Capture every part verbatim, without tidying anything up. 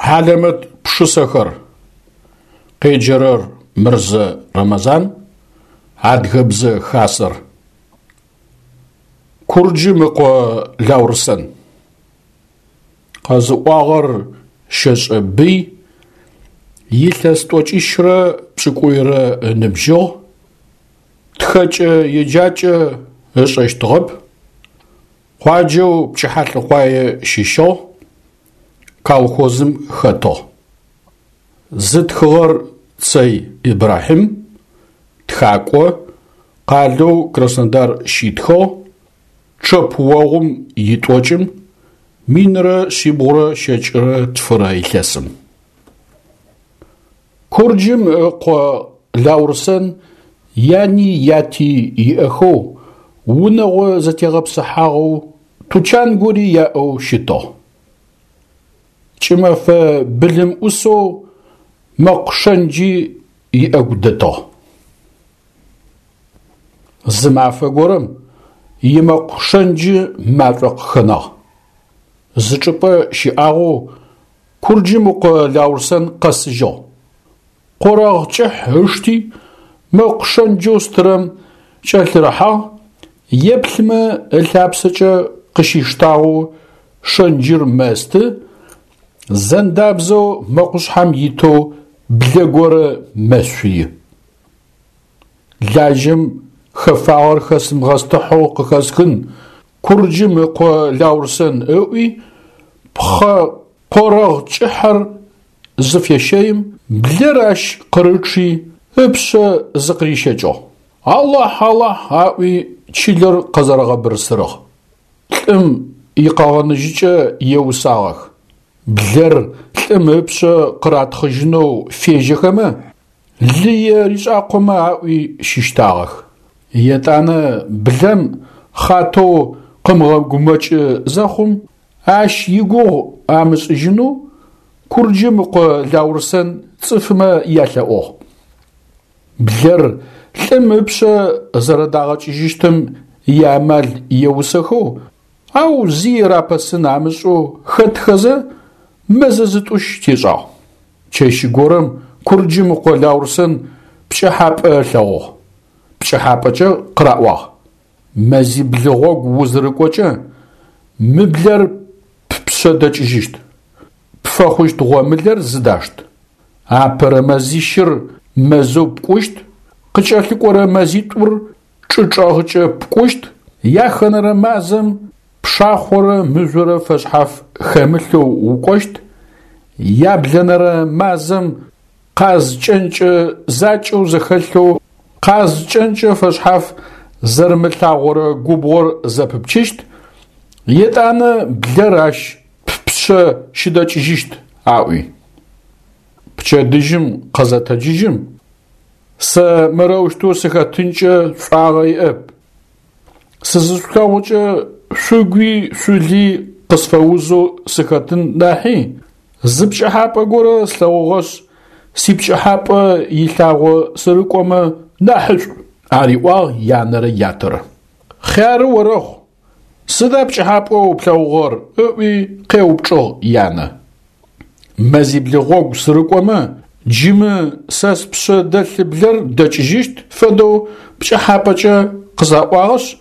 Хьалэмэт пшысэхэр. Къеджэрэр Мырзэ Рэмэзан, Адыгэбзэ Хасэр. Курджым ыкъо Лаурсэн. Къэзыӏуагъэр Щэшӏэ Бый, илъэс тӏокӏищрэ пшӏыкӏуйрэ ыныбжьыгъ, тхэкӏэ-еджакӏэ ышӏэщтыгъэп, къуаджэу Пчыхьалӏыкъуае щыщыгъ, колхозым хэтыгъ. Зытхыгъэр Цэй Ибрахьим, тхакӏо, къалэу Краснодар щитхыгъ, чъэпыогъум итӏокӏым минрэ шъибгъурэ щэкӏырэ тфырэ илъэсым. Курджым ыкъо Лаурсэн яни яти иӏэхэу, унэгъо зэтегъэпсыхьагъэу, тучан гори яӏэу щытыгъ. Кӏымэфэ былым ӏусэу мэкъу шэнджи иӏэгу дэтыгъ. Зы мафэ горэм имэкъу шэнджы машӏо къыхэнагъ. Зы чӏыпӏэ щыӏагъэу Курджым ыкъо Лаурсэн къэсыжьыгъ. Къорэгъ кӏыхь ышти, мэкъу шэнджэу стырэм кӏэлъырыхьагъ, еплъымэ ылъапсэкӏэ къыщиштагъэу шэнджыр мэсты, зэндабзэу мэкъушъхьэм итэу блэ горэ мэшъуи. Лажьэм хэфагъэр хэсымыгъэстыхьэу къыхэсхын, Курджым ыкъо Лаурсэн ыӏуи, пхъэ къорэгъ кӏыхьэр зыфещэим, блэр ащ къырычъи, ыпшъэ зыкъырищэкӏыгъ. Алахь, Алахь аӏуи чылэр къэзэрэгъэбырсырыгъ. Лӏым икъэгъэнэжьыкӏэ еусагъэх. Блэр лӏым ыпшъэ къыратхъыжьынэу фежьэхэмэ, лые ришӏакъомэ аӏуи щыщтагъэх. Етӏанэ блэм хъатэу къымыгъэгумэкӏы зэхъум, ащ игугъу амышӏыжьынэу Курджым ыкъо Лаурсэн цӏыфмэ ялъэӏугъ. Блэр лӏым ыпшъэ зэрэдагъэкӏыжьыщтым иамал еусэхэу, ау зи рапэсын амышӏэу хэтхэзэ, мэзэ зытӏущ тешӏагъ. Чэщ горэм Курджым ыкъо Лаурсэн пкӏыхьапӏэ ылъэгъугъ. Пкӏыхьапӏэкӏэ къыраӏуагъ: Мэзибл гъогу узырыкӏокӏэ, мы блэр ппшъэ дэкӏыжьыщт, пфэхъущт гъомылэр зыдашт. Апэрэ мэзищыр мэзэу пкӏущт, къыкӏэлъыкӏорэ мэзитӏур чӏы чӏэгъыкӏэ пкӏущт, яхэнэрэ мазэм пшахъорэ мыжъорэ фэшъхьаф хэмылъэу укӏощт, яблэнэрэ мазэм къаз кӏэнкӏэ закӏэу зэхэлъэу къаз кӏэнкӏэ фэшъхьаф зэрымылъагъорэ губгъор зэпыпчыщт, етӏанэ блэр ащ ппшъэ щыдэкӏыжьыщт, аӏуи. Пчэдыжьым къызэтэджыжьым, сэ мырэущтэу сыхэтынкӏэ шӏуагъэ иӏэп. Сызышъулъэгъукӏэ шъугуи шъули къысфэузэу сыхэтын нахьи, зы пкӏыхьапӏэ горэ слъэгъугъэшъ, сипкӏыхьапӏэ илъагъо сырыкӏомэ нахьышӏу, ариӏуагъ янэрэ ятэрэ. Хъяры орэхъу, сыда пкӏыхьапӏэу плъэгъугъэр? Ыӏуи къеупчӏыгъ янэ. Мэзибл гъогу сырыкӏомэ, джымы сэ спшъэ дэлъ блэр дэкӏыжьыщт фэдэу пкӏыхьапӏэкӏэ къызаӏуагъэшъ,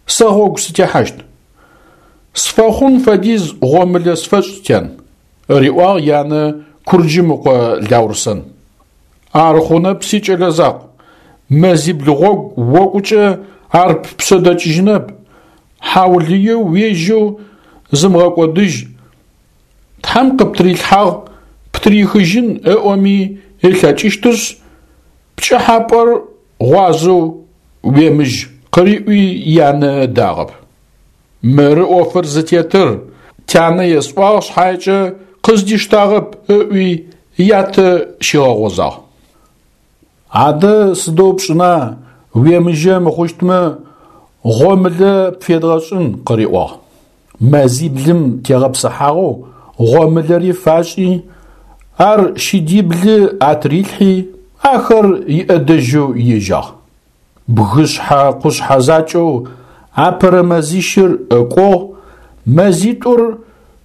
сэ гъогу сытехьащт. Сфэхъун фэдиз гъомылэ сфэшӏ, тян, риӏуагъ янэ Курджым ыкъо Лаурсэн. Ар хъунэп, сикӏэлэ закъу, мэзибл гъогу окӏукӏэ ар ппшъэ дэкӏыжьынэп, хьаулыеу уежьэу зымыгъэкӏодыжь, Тхьэм къыптырилъхьагъ птырихыжьын ыӏоми ылъэкӏыщтышъ, пкӏыхьапӏэр гъуазэу уемыжь, къыриӏуи янэ ыдагъэп. Мыры ӏофыр зытетыр, тянэ есӏуагъ шъхьаекӏэ къыздиштагъэп ыӏуи ятэ щигъэгъозагъ. Адэ сыдэу пшӏына, уемыжьэ мыхъущтмэ, гъомылэ пфедгъэшӏын, къыриӏуагъ. Мэзиблым тегъэпсыхьагъэу гъомылэри фашӏи, ар щыдиблы атырилъхьи, ахэр иӏэдэжьэу ежьагъ. Бгышъхьэ къушъхьэ закӏэу апэрэ мэзищыр ыкӏугъ, мэзитӏур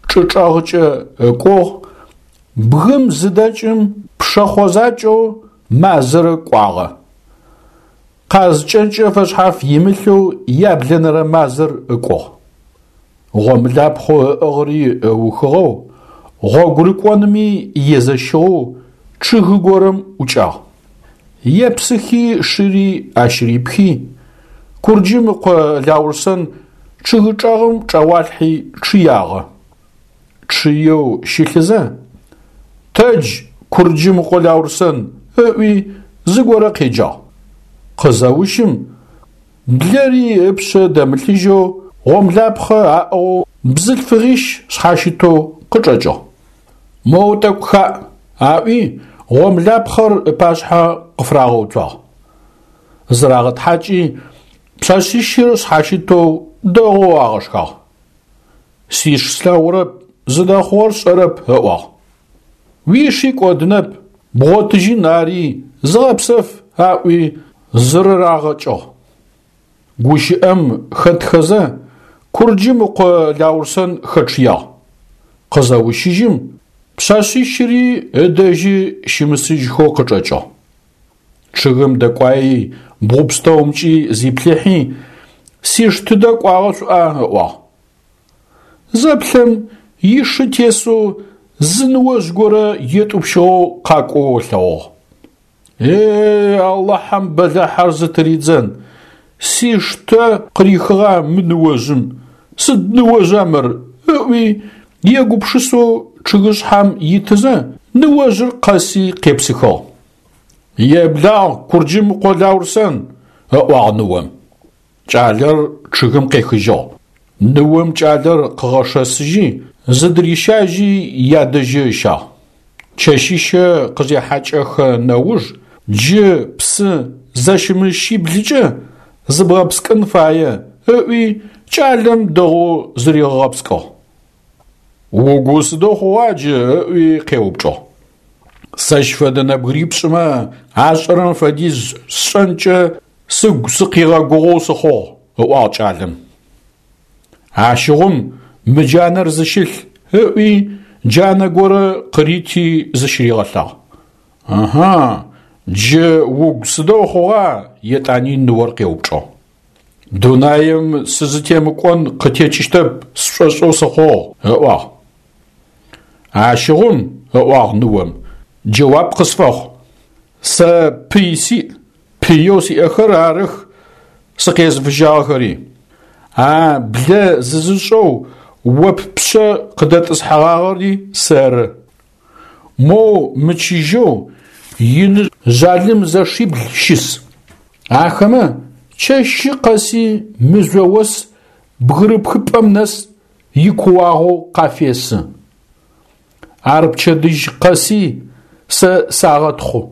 чӏы чӏэгъыкӏэ ыкӏугъ, Бгым зыдэкӏым пшэхъо закӏэу мазэрэ кӏуагъэ. Къаз кӏэнкӏэ фэшъхьаф имылъэу яблэнэрэ мазэр ыкӏугъ. Гъомылапхъэу ыӏыгъыри ыухыгъэу, гъогу рыкӏонми езэщыгъэу чъыгы горэм ӏукӏагъ. Епсыхи шыри ащ рипхи, Курджым ыкъо Лаурсэн чъыгы чӏэгъым чӏэгъуалъхьи чъыягъэ. Чъыеу щылъызэ: «Тэдж, Курджым ыкъо Лаурсэн!» ыӏуи зыгорэ къеджагъ. Къызэущым, блэри ыпшъэ дэмылъыжьэу гъомлапхъэ аӏыгъэу бзылъфыгъищ шъхьащытэу къычӏэкӏыгъ. «Моу тӏэкӏу хаӏ!» аӏуи гъомлапхъэр ыпашъхьэ къыфырагъэуцуагъ. Зырагъэтхьакӏи пшъэшъищыр шъхьащытэу дэгъоу агъэшхагъ. «Сиш слъэгъурэп, зыдэхъугъэр сшӏэрэп», ыӏуагъ. «Уиши кӏодынэп, бгъотыжьын ари, зыгъэпсэф», аӏуи зырырагъэкӏыгъ. Гущыӏэм хэтхэзэ Курджым ыкъо Лаурсэн хэчъыягъ. Къызэущыжьым, пшъэшъищыри ыдэжьы щымысыжьхэу къычӏэкӏыгъ. Чъыгым дэкӏуаи бгъу пстэумкӏи зиплъыхьи, «Сиш тыдэ кӏуагъэ шъуӏуа?» ыӏуагъ. Зэплъэм ишы тесэу зы ныожъ горэ етӏупщыгъэу къакӏоу ылъэгъугъ. «Е-е, Алахьэм бэлахьэр зытыридзэн, сиш тэ къырихыгъа мы ныожъым, сыд ныожъа мыр?» ыӏуи егупшысэу чъыгышъхьэм итызэ ныожъыр къэси къепсыхыгъ. «Еблагъ, Курджым ыкъо Лаурсэн!» ыӏуагъ ныом. Кӏалэр чъыгым къехыжьыгъ. Ныом кӏалэр къыгъэшэсыжьи, зыдырищажьи ядэжьы ыщагъ. Чэщищэ къызехьакӏэхэ нэуж джы псы зэщымыщиблыкӏэ зыбгъэпскӏын фае, ыӏуи кӏалэм дэгъоу зыригъэгъэпскӏыгъ. «Угу сыдэу хъугъа джы?» ыӏуи къеупчӏыгъ. «Сэщ фэдэ нэбгырипшӏымэ ашӏэрэм фэдиз сшӏэнкӏэ сыгу сыкъигъэгугъэу сыхъугъ», ыӏуагъ кӏалэм. «Ащыгъум мы джанэр зыщылъ», ыӏуи джанэ горэ къырити зыщыригъэлъагъ. «Ыхьы, джы угу сыдэу хъугъа?» етӏани ныор къеупчӏыгъ. «Дунаим сызытемыкӏон къытекӏыщтэп сшӏошӏэу сыхъугъ», ыӏуагъ. «Ащыгъум, ыӏуагъ ныом, джэуап къысфэхъу. Сэ пый сиӏ, пыеу сиӏэхэр арых сыкъезыфыжьагъэхэри. А блэ зызышӏэу о ппшъэ къыдэтӏысхьэгъагъэри сэры. Моу мычыжьэу иныжъ жъалым зэшибл щыс. Ахэмэ чэщы къэси мыжъо ос бгырыпхыпӏэм нэс икууагъэу къафесы. Ар пчэдыжь къэси сэ сагъэтхъу.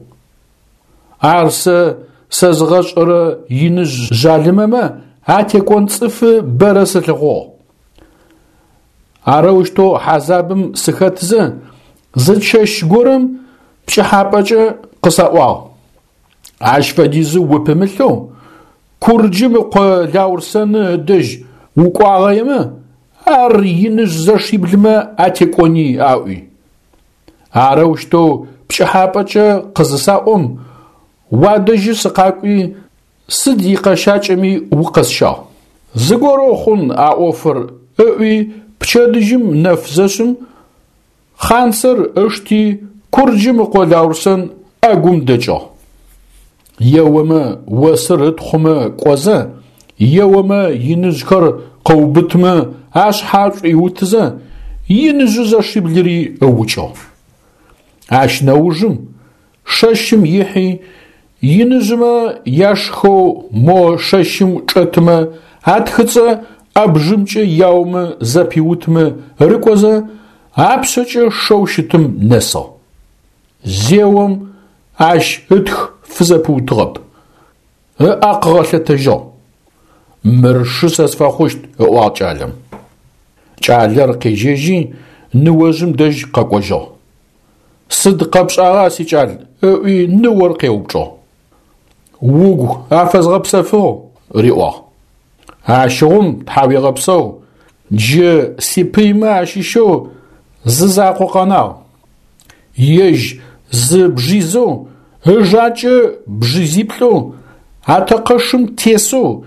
Ар сэ сэзгъэшӏэрэ иныжъ жъалымэмэ атекӏон цӏыфы бэрэ сылъыхъугъ. Арэущтэу хьазабым сыхэтзэ зы чэщ горэм пкӏыхьапӏэкӏэ къысаӏуагъ: Ащ фэдизы упымылъэу Курджым ыкъо Лаурсэны ыдэжь укӏуагъэемэ, ар иныжъ зэшиблымэ атекӏони аӏуи. Арэущтэу пкӏыхьапӏэкӏэ къызысаӏом, уадэжьы сыкъакӏуи сыд икъэщакӏэми укъэсщагъ. Зыгорэу хъун а ӏофыр ыӏуи пчэдыжьым нэф зэшъым хъанцэр ышти Курджым ыкъо Лаурсэн ӏэгум дэкӏыгъ. Еомэ осыр ытхъумэ кӏозэ, еомэ иныжъхэр къыубытымэ ашъхьэ шӏуиутызэ, иныжъы зэшиблыри ыукӏыгъ. Ащ нэужым шэщым ихьи иныжъымэ яшхэу мо шэщым чӏэтымэ атхыцӏэ ӏэбжымкӏэ яомэ зэпиутымэ рыкӏозэ апшъэкӏэ шэу щытым нэсыгъ. Зеом ащ ытх фызэпыутыгъэп, ыӏэ къыгъэлъэтэжьыгъ. «Мыр шы сэ сфэхъущт», ыӏуагъ кӏалэм. Кӏалэр къежьэжьи ныожъым дэжь къэкӏожьыгъ. «Сыд къэпшӏагъа, сикӏал?» ыӏуи ныор къеупчӏыгъ. «Угу афэзгъэпсэфыгъ», риӏуагъ. «Ащыгъум тхьауегъэпсэу, джы сипыймэ ащыщэу зы закъо къэнагъ. Ежь зы бжизэу, ыжакӏэ бжизиплӏэу, атэкъэшым тесэу,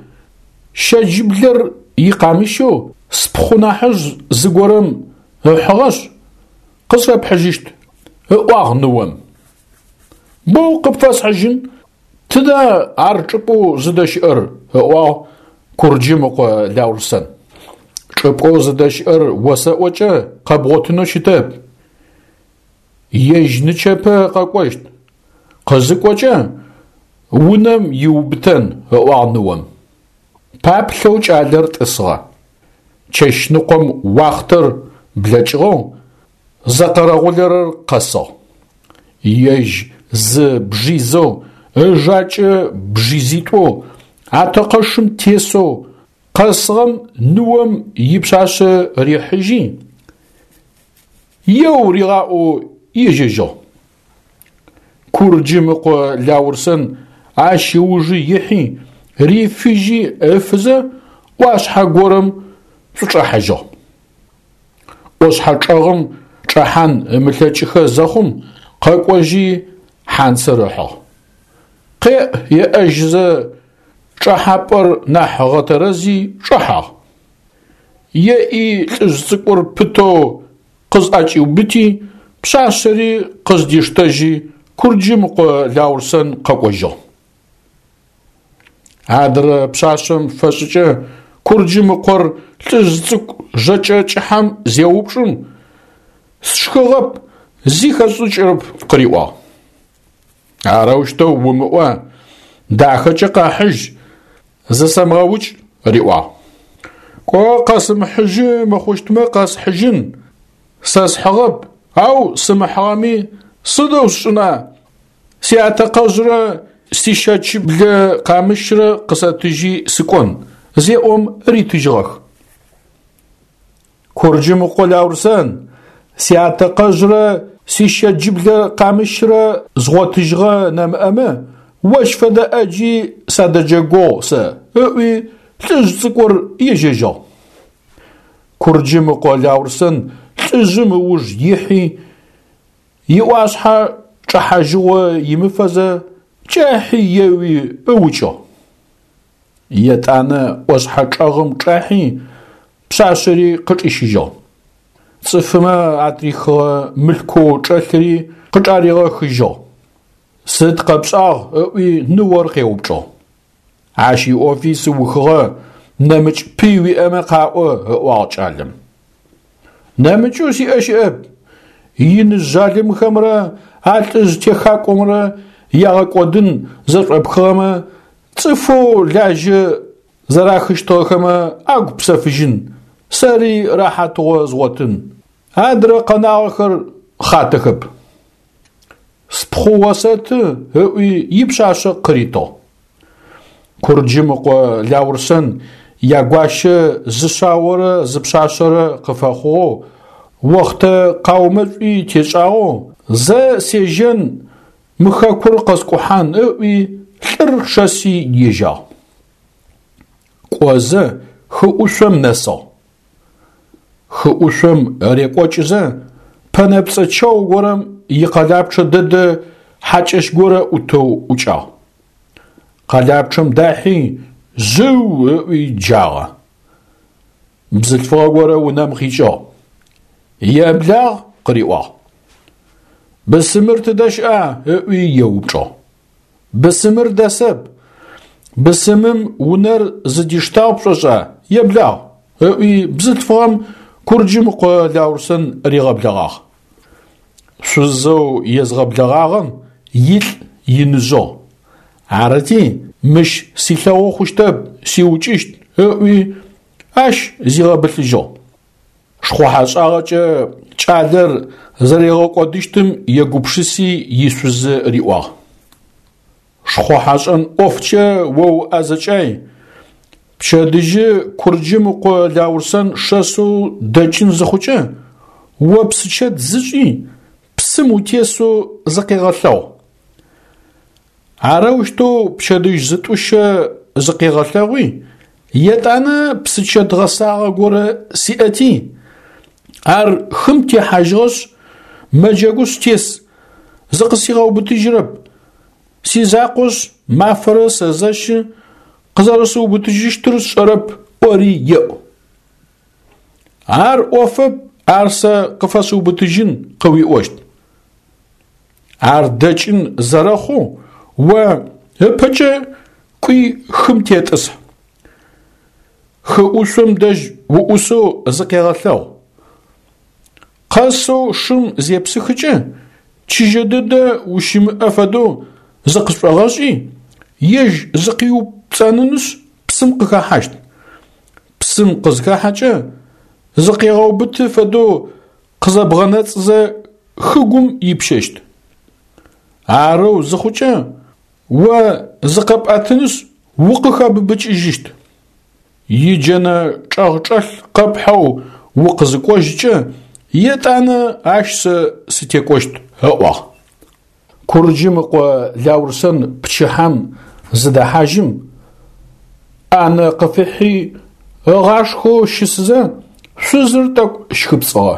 щэджыблэр икъамыщэу спхъу нахьыжъ зыгорэм ыхьыгъэшъ, къысфэпхьыжьыщт, ыӏуагъ ныом. Боу къыпфэсхьыжьын, тыда ар чӏыпӏэу зыдэщыӏэр? Ыӏуагъ Курджым ыкъо Лаурсэн. Чӏыпӏэу зыдэщыӏэр осэӏокӏэ къэбгъотынэу щытэп. Ежь нычэпэ къэкӏощт. Къызыкӏокӏэ унэм иубытэн, ыӏуагъ ныом. Паплъэу кӏалэр тӏысыгъэ. Чэщныкъом уахътэр блэкӏыгъэу зэкъэрэгъулэрэр къэсыгъ. Ежь зы бжизэу, ыжакӏэ бжизитӏоу, атэкъэшым тесэу къэсыгъэм ныом ипшъашъэ рихьыжьи, еу ригъаӏоу ежьэжьыгъ. Курджым ыкъо Лаурсэн ащ ыужы ихьи, рифыжьи ыфызэ ӏуашъхьэ горэм шӏучӏэхьажьыгъ. ӏошъхьэ чӏэгъым чӏэхьан ымылъэкӏыхэ зэхъум къэкӏожьи хьанцэр ыхьыгъ. Къеӏ еӏэжьызэ чӏэхьапӏэр нахь ыгъэтэрэзи чӏэхьагъ. Еӏи лӏыжъ цӏыкӏур пытэу къызӏэкӏиубыти, пшъашъэри къыздиштэжьи Курджым ыкъо Лаурсэн къэкӏожьыгъ. Адрэ пшъашъэм фэшӏыкӏэ Курджым ыкъор лӏыжъ цӏыкӏу жэкӏэ кӏыхьэм зеупчӏым, сшхыгъэп, зи хэсшӏыкӏырэп къыриӏуагъ. Арэущтэу умыӏо, дахэкӏэ къэхьыжь, зысэмыгъэукӏ, риӏуагъ. Кӏо къэсымыхьыжьы мыхъущтмэ къэсхьыжьын, сэ схьыгъэп, ау сымыхьыгъэми сыдэу сшӏына, сиатэкъэжърэ сищэчыблэ къамыщрэ къысэтыжьи сыкӏон, зеӏом ритыжьыгъэх. Курджым ыкъо Лаурсэн, сиатэкъэжърэ сищэджыблэ къамыщрэ згъотыжьыгъэ нэмыӏэмэ, ощ фэдэ ӏэджи садэджэгугъ сэ, ыӏуи лӏыжъ цӏыкӏур ежьэжьыгъ. Курджым ыкъо Лаурсэн лӏыжъым ыуж ихьи, иӏуашъхьэ чӏэхьажьыгъо имыфэзэ кӏахьи еуи ыукӏыгъ. Етӏанэ ӏошъхьэ чӏэгъым чӏахьи пшъашъэри къычӏищыжьыгъ. Цӏыфымэ атрихыгъэ мылъкоу чӏэлъыри къычӏаригъэхыжьыгъ. Сыд къэпшӏагъ? Ыӏуи ныор къеупчӏыгъ. Ащ иӏофи сыухыгъэ, нэмыкӏ пый уиӏэмэ къаӏо, ыӏуагъ кӏалэм. Нэмыкӏэу сиӏэ щыӏэп. Иныжъ жъалымхэмрэ а лӏыжъ техакӏомрэ ягъэкӏодын зэшӏопхыгъэмэ, цӏыфэу лажьэ зэрахыщтыгъэхэмэ агу псэфыжьын, сэри рэхьатыгъо згъотын. Адрэ къэнагъэхэр хъатэхэп. Спхъу осэты, ыӏуи ипшъашъэ къыритыгъ. Курджым ыкъо Лаурсэн ягуащэ зы шъаорэ зы пшъашъэрэ къыфэхъугъэу, охътэ къаумэшӏуи тешӏагъэу, зэ сежьэн мы хэкур къэскӏухьан ыӏуи лӏыр шэси ежьагъ. Кӏозэ хы ӏушъом нэсыгъ. Хы ӏушъом рекӏокӏызэ пэнэпцӏэ чэу горэм икъэлапчъэ дэдэ хьакӏэщ горэ ӏутэу ӏукӏагъ. Къэлапчъэм дахьи жъыу ыӏуи джагъэ. Бзылъфыгъэ горэ унэм къикӏыгъ. Еблагъ къыриӏуагъ. Бысымыр тыдэ щыӏа? Ыӏуи еупчӏыгъ. Бысымыр дэсэп. Бысымым унэр зыдиштагъ пшӏошӏа? Еблагъ, ыӏуи бзылъфыгъэм Курджым ыкъо Лаурсэн ригъэблэгъагъ. Шъузэу езгъэблэгъагъэм илӏ иныжъыгъ. Арыти, мыщ силъэгъу хъущтэп, сиукӏыщт, ыӏуи ащ зигъэбылъыжьыгъ. Шхъухьэшӏагъэкӏэ кӏалэр зэригъэкӏодыщтым егупшыси ишъузы риӏуагъ. Шхъухьэшӏэн ӏофкӏэ о уӏэзэкӏай, пчэдыжьы Курджым ыкъо Лаурсэн шэсэу дэкӏын зыхъукӏэ, о псычэт зышӏи, псым утесэу зыкъегъэлъэгъу. Арэущтэу пчэдыжь зытӏущэ зыкъегъэлъэгъуи, етӏанэ псычэт гъэсагъэ горэ сиӏэти, ар хым техьажьыгъэшъ, мэджэгушъ тес, зыкъысигъэубытыжьырэп. Сизакъошъ, мафэрэ сэзэщы, къызэрэсыубытыжьыщтыр сшӏэрэп, ӏори еӏу. Ар ӏофэп, ар сэ къыфэсыубытыжьын къыуиӏощт. Ар дэкӏын зэрэхъоу о ыпэкӏэ кӏуи хым тетӏысхь. Хы ӏушъом дэжь уӏусэу зыкъегъэлъэгъу. Къэсэу шым зепсыхыкӏэ, чыжьэ дэдэ ущымыӏэ фэдэу зыкъышӏогъэшӏи, ежь зыкъиупцӏэнынышъ псым къыхэхьащт. Псым къызыхахьэкӏэ, зыкъегъэубыты фэдэу къызэбгъэнэцӏызэ хыгум ипщэщт. Арэу зыхъукӏэ, о зыкъэпӏэтынышъ укъыхэбыбыкӏыжьыщт. Иджэнэ чӏэгъчӏэлъ къэпхьэу укъызыкӏожькӏэ, етӏанэ ащ сэ сытекӏощт, ыӏуагъ. Курджым ыкъо Лаурсэн пчыхьэм зыдэхьажьым, ӏанэ къыфихьи ыгъашхэу щысызэ, шъузыр тӏэкӏу щхыпцӏыгъэ.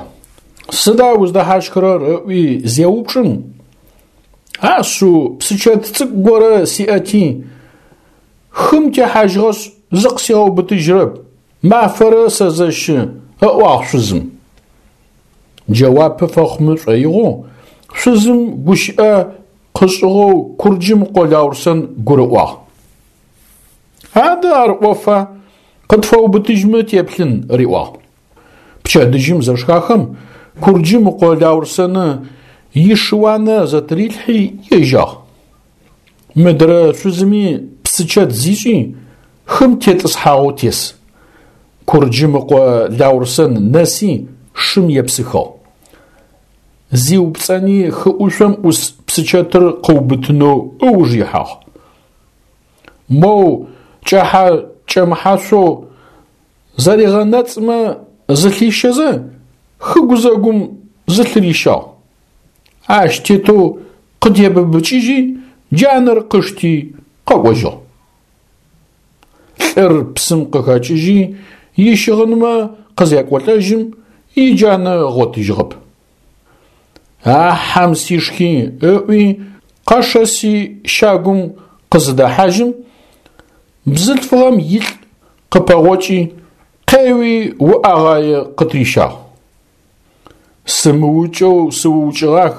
Сыда уздэхьащхырэр ыӏуи зеупчӏым, ашъыу псычэт цӏыкӏу горэ сиӏэти, хым техьажьыгъэшъ зыкъысигъэубытыжьырэп, мафэрэ сэзэщы, ыӏуагъ шъузым. Джэуапы фэхъумэ шӏоигъоу шъузым гущыӏэ къышӏыгъэу Курджым ыкъо Лаурсэн гурыӏуагъ. Адэ ар ӏофа, къытфэубытыжьмэ теплъын, риӏуагъ. Пчэдыжьым зэшхахэм Курджым ыкъо Лаурсэны ишыуанэ зэтырилъхьи ежьагъ. Мыдрэ шъузыми псычэт зишӏи, хым тетӏысхьагъэу тес. Курджым ыкъо Лаурсэн нэси шым епсыхыгъ. Зиупцӏэни хы ӏушъом ӏус псычэтыр къыубытынэу ыуж ихьагъ. Моу кӏэхьэ-кӏэмыхьашъоу зэригъэнэцӏмэ зылъищэзэ, хы гузэгум зылъырищагъ. Ащ тетэу къытебыбыкӏыжьи, джанэр къышти къэкӏожьыгъ. Лӏыр псым къыхэкӏыжьи, ищыгъынмэ къызекӏолӏэжьым, иджанэ ыгъотыжьыгъэп. А хьэм сишхи ыӏуи, къэшэси щагум къызыдэхьажьым, бзылъфыгъэм илӏ къыпэгъокӏи, къеуи уӏэгъае къытырищагъ. Сымыукӏэу сыукӏыгъах,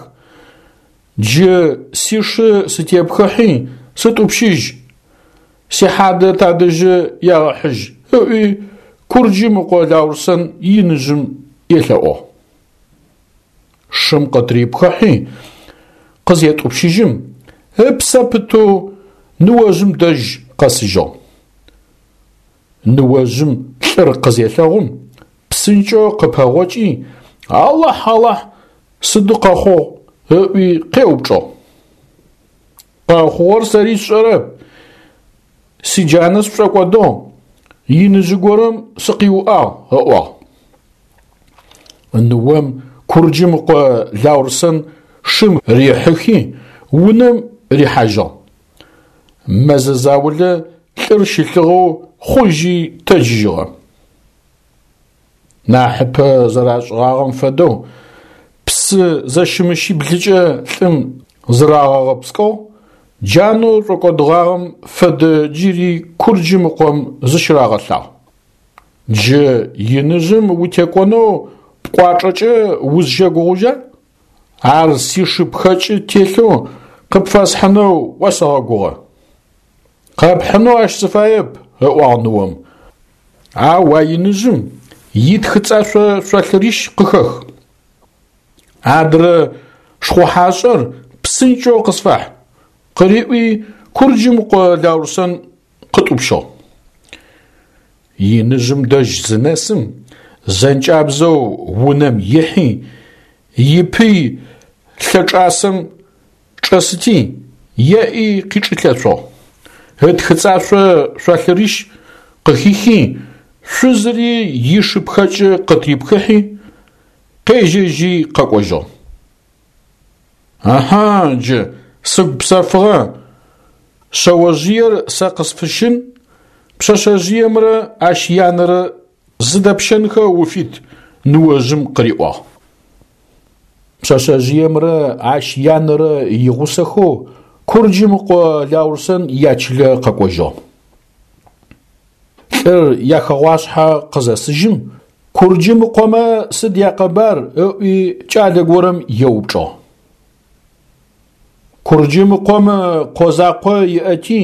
джы сишы сытепхыхьи сытӏупщыжь, сихьадэ тадэжьы ягъэхьыжь, ыӏуи Курджым ыкъо Лаурсэн иныжъым елъэӏугъ. Шым къытырипхыхьи къызетӏупщыжьым, ыпсэ пытэу ныожъым дэжь къэсыжьыгъ. Ныожъым лӏыр къызелъэгъум, псынкӏэу къыпэгъокӏи, Алахь, Алахь, сыды къэхъугъ, ыӏуи къеупчӏыгъ. Къэхъугъэр сэри сшӏэрэп, сиджанэ сшӏокӏодыгъ, иныжъы горэм сыкъиуӏагъ, ыӏуагъ. Ныом Курджым ыкъо Лаурсэн шым рихьыхи, унэм рихьажьыгъ. Мэзэ заулэ лӏыр щылъыгъэу хъужьи тэджыжьыгъэ. Нахьыпэ зэрашӏыгъагъэм фэдэу псы зэщымыщиблыкӏэ лӏым зырагъэгъэпскӏыгъ, джанэу шӏокӏодыгъагъэм фэдэ джыри Курджым ыкъом зыщырагъэлъагъ. Джы иныжъым утекӏонэу пкӏуачӏэкӏэ узщэгугъужьа? Ар сишыпхэкӏы телъэу къыпфэсхьынэу осэгъэгугъэ. Къэпхьынэу ащ сыфаеп, ыӏуагъ ныом. Ау а иныжъым итхыцӏашъо шъолъырищ къыхэх. Адрэ шхъухьашӏэр псынкӏэу къысфахь, къыриӏуи Курджым ыкъо Лаурсэн къытӏупщыгъ. Иныжъым дэжь зынэсым, зэнкӏабзэу унэм ихьи, ипый лъэчӏасэм чӏэсыти, еӏи къичӏылъэшъугъ. Ытхыцӏашъо шъолъырищ къыхихи, шъузыри ишыпхэкӏы къытырипхыхьи, къежьэжьи къэкӏожьыгъ. Аха, джы сыгу псэфыгъэ, шъэожъыер сэ къысфыщын, пшъэшъэжъыемрэ ащ янэрэ зыдэпщэнхэ уфит, ныожъым къыриӏуагъ. Пшъэшъэжъыемрэ ащ янэрэ игъусэхэу Курджым ыкъо Лаурсэн ячылэ къэкӏожьыгъ. Лӏыр яхэгъуашъхьэ къызэсыжьым, Курджым ыкъомэ сыд якъэбар ыӏуи кӏалэ горэм еупчӏыгъ. Курджым ыкъом къо закъо иӏэти,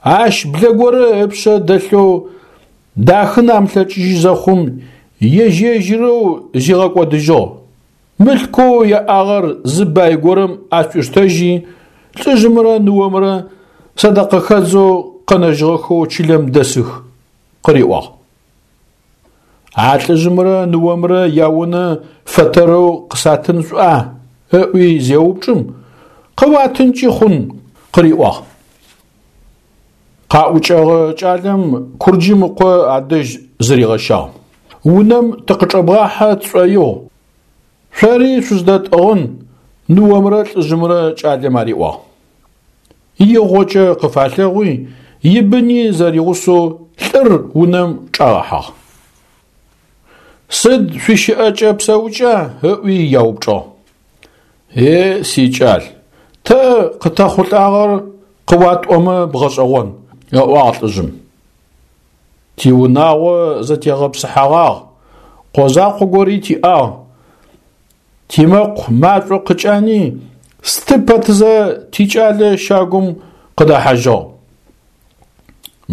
ащ блэ горэ ыпшъэ дэлъэу дахын амылъэкӏыжьы зэхъум, ежь-ежьырэу зигъэкӏодыжьыгъ. Мылъкоу яӏагъэр зы бай горэм ашӏуиштэжьи, лӏыжъымрэ ныомрэ сэдэкъэхэдзэу къэнэжьыгъэхэу чылэм дэсых, къыриӏуагъ. А лӏыжъымрэ ныомрэ яунэ фэтэрэу къысатын шӏуа? Ыӏуи зеупчӏым, къыуатынкӏи хъун, къыриӏуагъ. Къаӏукӏэгъэ кӏалэм Курджым ыкъо адэжь зыригъэщагъ. Унэм тыкъычӏэбгъахьэ тшӏоигъу. Шъори шъуздэтӏыгъын, ныомрэ лӏыжъымрэ кӏалэм ариӏуагъ. Игъокӏэ къыфалъэгъуи, ибыни зэригъусэу лӏыр унэм чӏагъэхьагъ. Сыд шъуищыӏэкӏэ псэукӏа? Ыӏуи яупчӏыгъ. Е сикӏал, тэ къытэхъулӏагъэр къыуатӏомэ бгъэшӏэгъон, ыӏуагъ лӏыжъым. Тиунагъо зэтегъэпсыхьэгъагъ, къо закъо гори тиӏагъ. Тимэкъу машӏо къыкӏани, сты пэтызэ тикӏалэ щагум къыдэхьажьыгъ.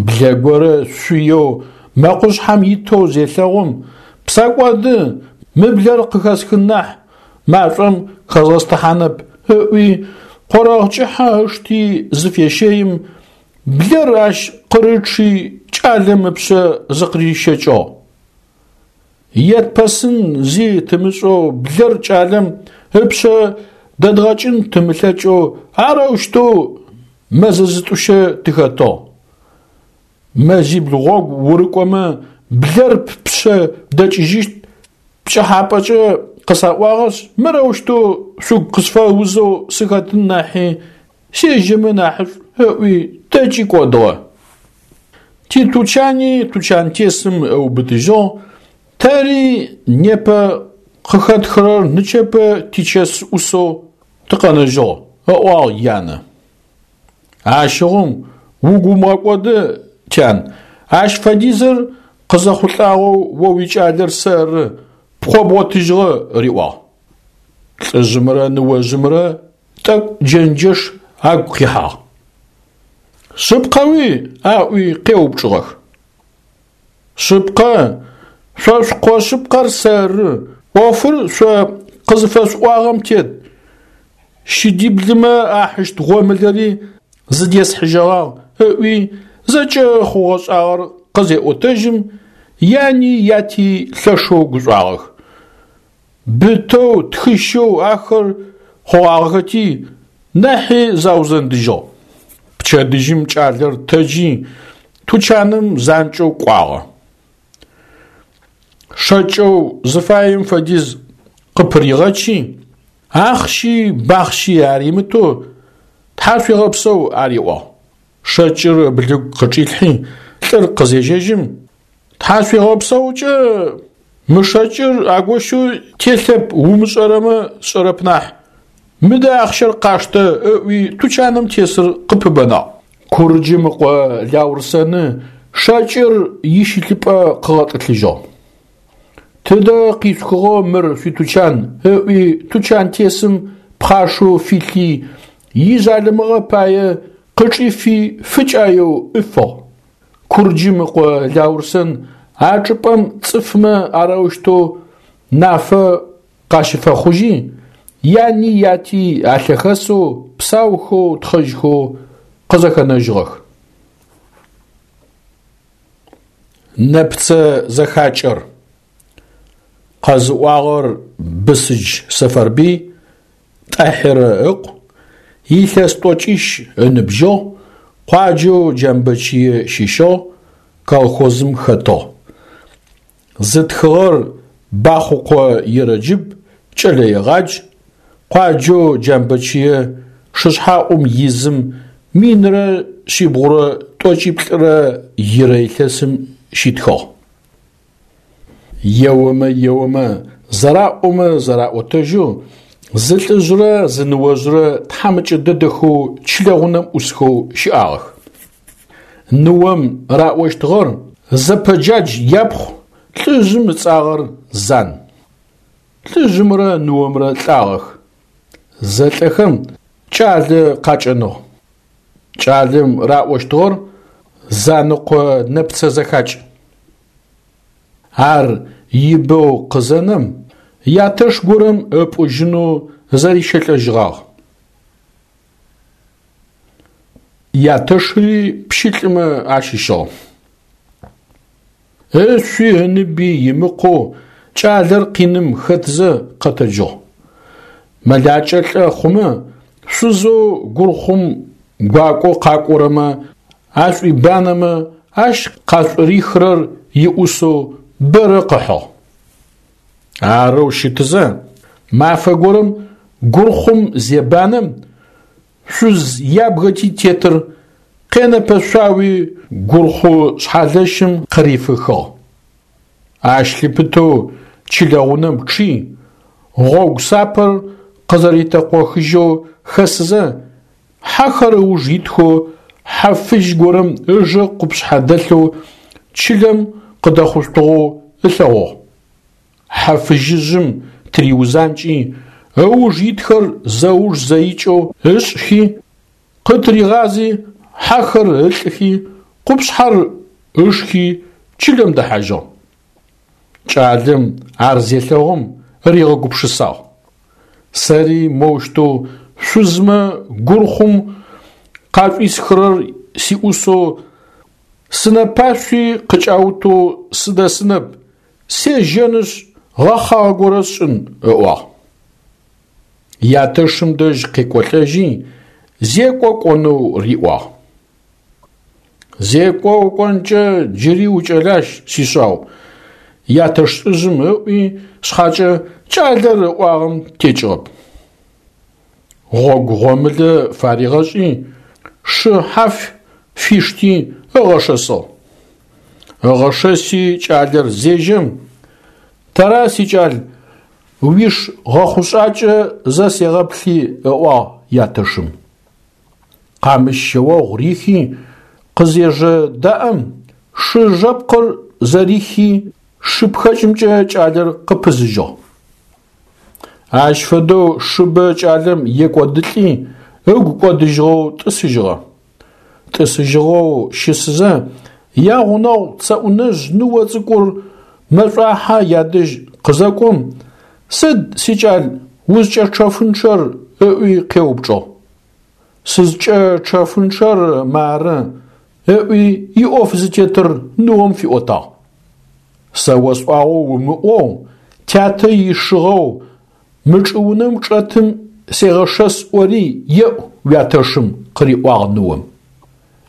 Блэ горэ шъуеу мэкъушъхьэм итэу зелъэгъум, псэкӏоды, мы блэр къыхэсхын нахь, машӏом хэзгъэстыхьанэп, ыӏуи, къорэгъ кӏыхьэ ышти зыфещэим, блэр ащ къырычъи кӏалэм ыпшъэ зыкъырищэкӏыгъ. Етпэсын зи тымышӏэу блэр кӏалэм ыпшъэ дэдгъэкӏын тымылъэкӏэу арэущтэу мэзэ зытӏущэ тыхэтыгъ. Мэзибл гъогу урыкӏомэ блэр ппшъэ дэкӏыжьыщт пкӏыхьапӏэкӏэ къысаӏуагъэшъ, мырэущтэу шъугу къысфэузэу сыхэтын нахьи сежьэмэ нахьышӏу ыӏуи тэкӏи кӏодыгъэ. Титучани тучантесым ыубытыжьыгъ, тэри непэ къыхэтхырэр нычэпэ тичэс ӏусэу тыкъэнэжьыгъ, ыӏуагъ янэ. Ащыгъум угу умыгъэкӏоды, тян, ащ фэдизыр къызэхъулӏагъэу о уикӏалэр сэры, пкъо бгъотыжьыгъэ, риӏуагъ. Лӏыжъымрэ ныожъымрэ тӏэкӏу джэнджэш агу къихьагъ. Шъыпкъэуи аӏуи къеупчӏыгъэх. Шъыпкъэ, шъо шъукъо шъыпкъэр сэры, ӏофыр шъо къызыфэшъуӏуагъэм тет. Щыдиблымэ ахьыщт гъомылэри зыдесхьыжьэгъагъ, ыӏуи зэкӏэ хъугъэ-шӏагъэр къызеӏотэжьым, яни яти лъэшэу гушӏуагъэх. Бытэу тхыщэу ахэр хъугъагъэхэти, нахьи заузэндыжьыгъ. Пчэдыжьым кӏалэр тэджи, тучаным занкӏэу кӏуагъэ. Шэкӏэу зыфаем фэдиз къыпыригъэчи, ахъщи бахъщи аримытэу тхьашъуегъэпсэу ариӏуагъ. Шэкӏыр ыблыгу къычӏилъхьи, лӏыр къызежьэжьым, тхьашъуегъэпсэукӏэ мы шэкӏыр агощэу телъэп умышӏэрэмэ сшӏэрэп нахь. Мыдэ ахъщэр къаштэ, ыӏуи тучаным тесыр къыпыбэнагъ. Курджым ыкъо Лаурсэны шэкӏыр ищылъыпӏэ къыгъэтӏылъыжьыгъ. Тыдэ къишъухыгъэу мыр шъуитучан, ыӏуи тучантесым пхъашэу филъи, ижъалымыгъэ пае къычӏифи фыкӏаеу ыфыгъ. Курджым ыкъо Лаурсэн а чӏыпӏэм цӏыфмэ арэущтэу нафэ къащыфэхъужьи, яни яти алъэхэсэу псаухэу тхъэжьхэу къызэхэнэжьыгъэх. Нэпцэ зэхакӏэр къэзыӏуагъэр Бысыдж Сэфэрбый, Тӏахьирэ ыкъу, илъэс тӏокӏищ ыныбжьыгъ, къуаджэу Джамбэчые щыщыгъ, колхозым хэтыгъ. Зытхыгъэр Бахъукъо Ерэджыб, кӏэлэегъадж, къуаджэу Джамбэчые шышъхьэӏум изым минрэ шъибгъурэ тӏокӏиплӏырэ ирэ илъэсым щитхыгъ. Еомэ еомэ, зэраӏомэ зэраӏотэжьэу, Зы лӏыжърэ зы ныожърэ тхьамыкӏэ дэдэхэу чылэгъунэм ӏусхэу щыӏагъэх. Ныом раӏощтыгъэр Зэпэджадж япхъу, лӏыжъым ыцӏагъэр Зан. Лӏыжъымрэ ныомрэ лӏагъэх. Зэлӏэхэм кӏалэ къакӏэныгъ. Кӏалэм раӏощтыгъэр Занэкъо нэпцэ зэхакӏ. Ар ибэу къызэнэм, ятэш горэм ыпӏужьынэу зэрищэлӏэжьыгъагъ. Ятэшри пщылӏымэ ащыщыгъ. Ышъуи ыныби имыкъоу кӏалэр къиным хэтзэ къэтэджыгъ. Мэлакӏэ лӏэ хъумэ, шъузэу гурхъум гуакӏоу къакӏорэмэ ашӏуибанэмэ ащ къашӏурихырэр иӏусэу бэрэ къыхьыгъ. Арэу щытызэ, мафэ горэм гурхъум зебанэм, шъуз ябгэти тетыр къенэпэшъуауи гурхъу шъхьэлэщым къырифыхыгъ. Ащ лъыпытэу чылэгъунэм чъи, гъогу сапэр къызэритэкъохыжьэу хэсызэ, хьэхэр ыуж итхэу хьэ фыжь горэм ыжэ къупшъхьэ дэлъэу чылэм къыдэхъушъутыгъэу ылъэгъугъ. Хьэ фыжьыжъым тыриузанкӏи, ыуж итхэр зэуж зэикӏэу ышӏхи, къытыригъази, хьэхэр ылӏыхи, къупшъхьэр ышхи чылэм дэхьажьыгъ. Кӏалэм ар зелъэгъум ригъэгупшысагъ. Сэри моущтэу шъузмэ гурхъум къашӏуисхырэр сиӏусэу сынэпашъуи къыкӏаутэу сыдэсынэп, сежьэнышъ гъэхъагъэ горэ сшӏын, ыӏуагъ. Ятэшым дэжь къекӏолӏэжьи, зекӏо кӏонэу риӏуагъ. Зекӏо укӏонкӏэ джыри укӏэлащ, сишъау, ятэш лӏыжъым ыӏуи шъхьакӏэ кӏалэр ыӏуагъэм текӏыгъэп. Гъогу гъомылэ фаригъэшӏи, шы хьаф фишти ыгъэшэсыгъ. Ыгъэшэси кӏалэр зежьэм, тэра сикӏал уиш гъэхъушӏакӏэ зэ сегъэплъи, ыӏуагъ ятэшым. Къамыщ шъэогъу рихи, къызежэдаӏэм, шы жэпкъыр зэрихи, шы пхэкӏымкӏэ кӏалэр къыпызыжьыгъ. Ащ фэдэу шыбэ кӏалэм екӏодылӏи, ыгу кӏодыжьыгъэу тӏысыжьыгъэ. Тӏысыжьыгъэу щысызэ, ягъунэгъу цэӏунэжъ ныо цӏыкӏур мэшӏуахьэ ядэжь къызэкӏом, сыд, сикӏал, узкӏэчэфынчъэр ыӏуи къеупчӏыгъ. Сызкӏэчэфынчъэр мары, ыӏуи иӏоф зытетыр ныом фиӏотагъ. Сэ осӏуагъэу умыӏоу, тятэ ишыгъэу мы чӏыунэм чӏэтым сегъэшэс ӏори еӏу уятэшым, къыриӏуагъ ныом.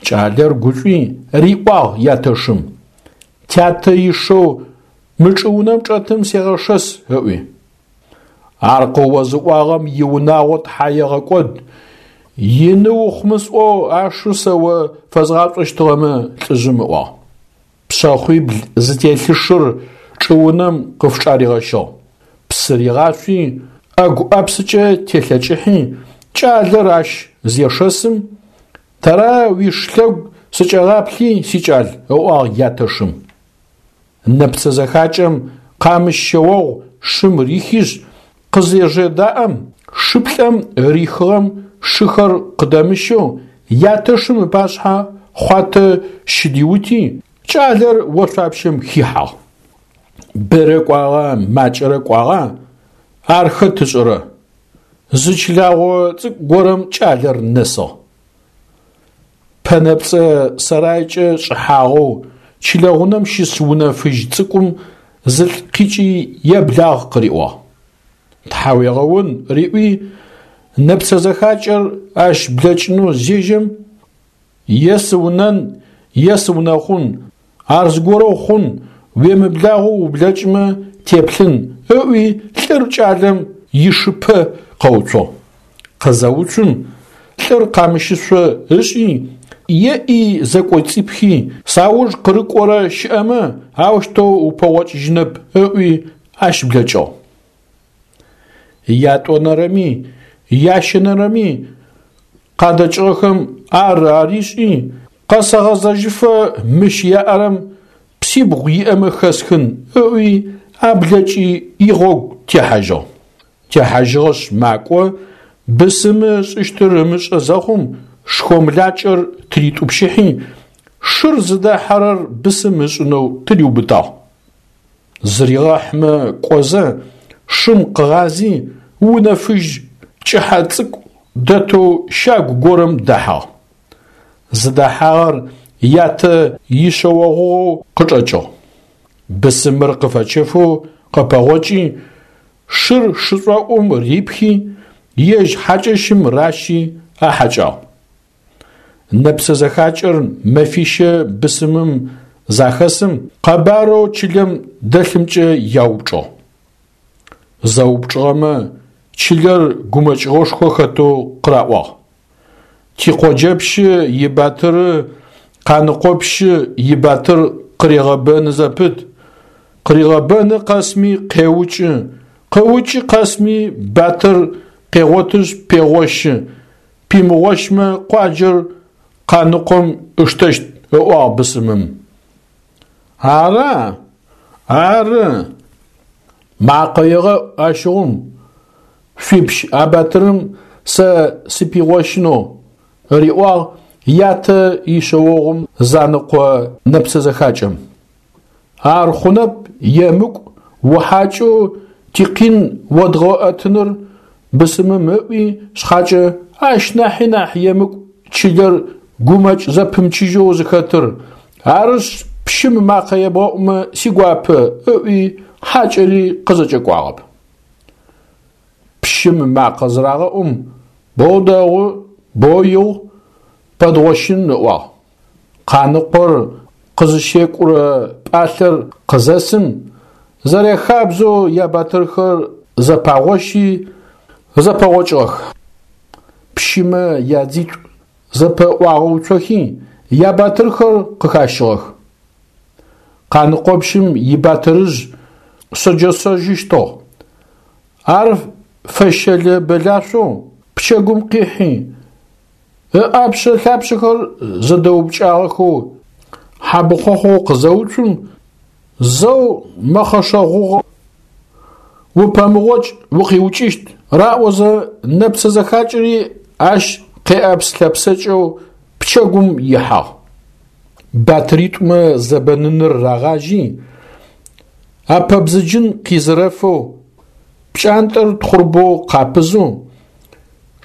Кӏалэр гушӏуи риӏуагъ ятэшым: Тятэ ишэу мы чӏыунэм чӏэтым сегъэшэс, ыӏуи. Ар къыозыӏуагъэм иунагъо тхьаегъэкӏод, ины ухъумэ сӏоу ашыр сэ о фэзгъашӏощтыгъэмэ, лӏыжъым ыӏуагъ. Пшъэхъуибл зытелъы шыр чӏыунэм къыфчӏаригъэщыгъ. Псы ригъашъуи, ӏэгу ӏэпсыкӏэ телъэкӏыхьи, кӏалэр ащ зешэсым, тэра уиш лъэгу сыкӏэгъаплъи, сикӏал, ыӏуагъ ятэшым. Нэпцэ зэхакӏэм къамыщ шъэогъу шым рихишъ, къызежэдаӏэм, шыплӏэм рихыгъэм шыхэр къыдэмыщэу ятэшым ыпашъхьэ хъуатэ щыдиути, кӏалэр ошъуапщэм хихьагъ. Бэрэ кӏуагъа, макӏэрэ кӏуагъа, ар хэт ышӏэрэ? Зы чылагъо цӏыкӏу горэм кӏалэр нэсыгъ. Пэнэпцӏэ сэрайкӏэ шӏыхьагъэу чылэгъунэм щыс унэ фыжь цӏыкӏум зылӏ къикӏи еблагъ къыриӏуагъ. Тхьауегъэун риӏуи, нэпцэ зэхакӏэр ащ блэкӏынэу зежьэм, е сыунэн, е сыунэхъун, ар зыгорэу хъун, уемыблагъэу ублэкӏымэ теплъын, ыӏуи лӏыр кӏалэм ишыпэ къэуцугъ. Къызэуцум, лӏыр къамыщышъо ышӏи, еӏи зэкӏоцӏипхи, сауж къырыкӏорэ щыӏэмэ, аущтэу упэгъокӏыжьынэп ыӏуи ащ блэкӏыгъ. Ятӏонэрэми, ящэнэрэми къадэкӏыгъэхэм ар аришӏи, къэсэгъэзэжьыфэ мыщ яӏэрэм псибгъу иӏэмэ хэсхын ыӏуи аблэкӏи игъогу техьажьыгъ. Техьажьыгъэшъ макӏо, бысымы ышӏыщтыр ымышӏэ зэхъум шхомлакӏэр тыритӏупщыхьи, шыр зыдахьэрэр бысым ышӏынэу тыриубытагъ. Зыригъэхьмэ кӏозэ, шым къыгъази, унэ фыжь кӏыхьэ цӏыкӏу дэтэу щагу горэм дэхьагъ. Зыдэхьагъэр ятэ ишъэогъугъэу къычӏэкӏыгъ. Бысымыр къыфэчэфэу къыпэгъокӏи, шыр шышӏоӏум рипхи, ежь хьакӏэщым ращи ахьакӏагъ. Нэпсэ зэхакӏэр мэфищэ бысымым захэсым къэбарэу чылэм дэлъымкӏэ яупчӏыгъ. Зэупчӏыгъэмэ чылэр гумэкӏыгъошхо хэтэу къыраӏуагъ. Тикъоджэпщы ибатыры Къаныкъопщы ибатыр къырегъэбэны зэпыт, къыригъэбэны къэсми къеукӏы, къыукӏы къэсми батыр къегъотышъ пегъощы, пимыгъощмэ къуаджэр Къаныкъом ыштэщт, ыӏуагъ бысымым. Ара? Ары. Макъэ егъэӏу ащыгъум, шъуипщ а батырым сэ сыпигъощынэу, риӏуагъ ятэ ишъэогъум Занэкъо нэпсэ зэхакӏэм. Ар хъунэп, емыкӏу, ухьакӏэу тикъин одгъэӏэтыныр бысымым ыӏуи шъхьакӏэ, ащ нахьи нахь емыкӏу чылэр гумэкӏ зэпымчыжьэу зыхэтыр, арышъ пщым макъэ ебгъэӏумэ сигуапэ, ыӏуи хьакӏэри къызэкӏэкӏуагъэп. Пщым макъэ зырагъэӏум, боу дэгъу, боу игъу, пэдгъощын ыӏуагъ. Къаныкъор къызыщекӏурэ пӏалъэр къызэсым, зэряхабзэу ябатырхэр зэпагъощи зэпэгъокӏыгъэх. Пщымэ ядзитӏу зэпэӏуагъэуцохи, ябатырхэр къыхащыгъэх. Къаныкъопщым ибатырыжъ шъэджэшъэжьыщтыгъ. Ар фэщэлэ-бэлашъоу пчэгум къихьи, ыӏапшъэ-лъапшъэхэр зэдэупкӏагъэхэу хьабыхъохъоу къызэуцум, зэу мэхъэшэгъугъэу «Упэмыгъокӏ, укъиукӏыщт» раӏозэ нэпсэ зэхакӏэри ащ къеӏэпс-лъэпсэкӏэу пчэгум ихьагъ. Батыритӏумэ зэбэныныр рагъажьи, апэбзыджын къизэрэфэу, пкӏантӏэр тхъурбэу къапызэу,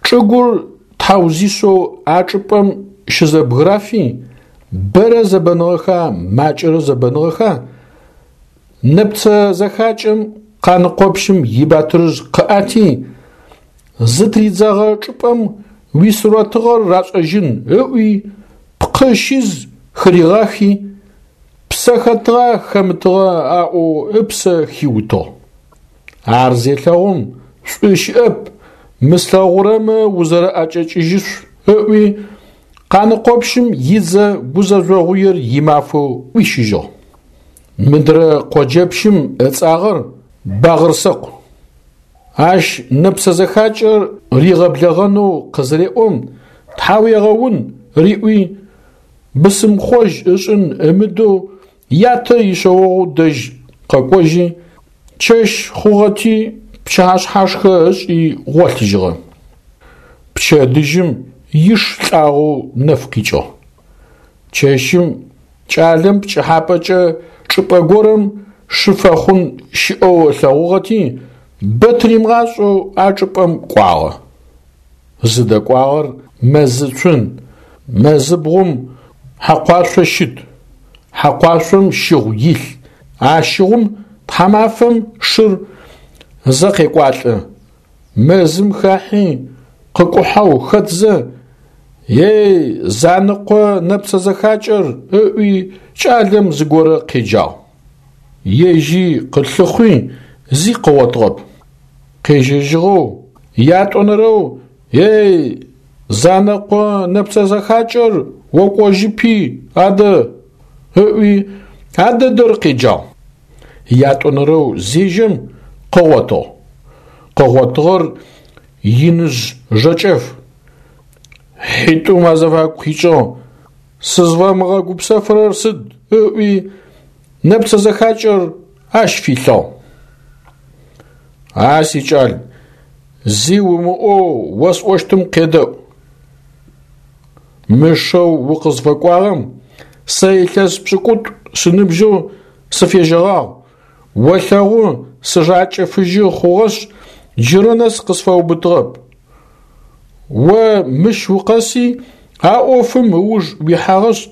чӏыгур тхьаузишъэу а чӏыпӏэм щызэбгырафи, бэрэ зэбэныгъэха, макӏэрэ зэбэныгъэха, нэпцэ зэхакӏэм Къаныкъопщым ибатырыжъ къыӏэти, зытыридзэгъэ чӏыпӏэм уисурэтыгъэр рашӏэжьын ыӏуи, пкъы щиз хыригъэхи, псэ хэтыгъа хэмытыгъа аӏоу ыпсэ хиутыгъ. Ар зелъэгъум, шӏу щыӏэп, мы слъэгъурэмэ узэрэӏэкӏэкӏыжьышъу ыӏуи, Къаныкъопщым идзэ гузэжъогъуер имафэу ӏуищыжьыгъ. Мыдрэ къоджэпщым ыцӏагъэр Багъырсэкъу. Ащ нэпсэ зэхакӏэр ригъэблэгъэнэу къызыреӏом, тхьауегъэун риӏуи, бысымхъожь ышӏын ымыдэу ятэ ишъэогъу дэжь къэкӏожьи, чэщ хъугъэти пчыхьэшъхьашхэ ышӏи гъолъыжьыгъэ. Пчэдыжьым иш лӏагъэу нэф къикӏыгъ. Чэщым кӏалэм пкӏыхьапӏэкӏэ чӏыпӏэ горэм шы фэхъун щыӏэу ылъэгъугъэти, бэ тыримыгъашӏэу а чӏыпӏэм кӏуагъэ. Зыдэкӏуагъэр мэзы цун, мэзыбгъум хьэкъуашъо щыт, хьэкъуашъом щыгъу илъ, а щыгъум тхьамафэм шыр зэ къекӏуалӏэ. Мэзым хахьи, къыкӏухьэу хэтзэ, «Ей, Занэкъо нэпсэ зэхакӏэр» ыӏуи кӏалэм зыгорэ къеджагъ. Ежьи къылъыхъуи зи къыгъотыгъэп. Къежьэжьыгъэу, ятӏонэрэу «Ей, Занэкъо нэпсэ зэхакӏэр окӏожьыпи адэ» ыӏуи а дэдэр къеджагъ. Ятӏонэрэу зежьэм къыгъотыгъ. къыгъотыгъэр иныжъ жэкӏэф. Хьитӏум азыфагу къикӏыгъ, сызфэмыгъэгупсэфырэр сыд ыӏуи, нэпцэ зэхакӏэр ащ филъыгъ. А сикӏал, зи умыӏоу осӏощтым къедэӏу. Мы шэу укъызфэкӏуагъэм сэ илъэс пшӏыкӏутӏу сыныбжьэу сыфежьэгъагъ, олъэгъу сыжакӏэ фыжьы хъугъэшъ, джырэ нэс къысфэубытыгъэп. О мыщ укъэси а ӏофым ыуж уихьагъэшъ,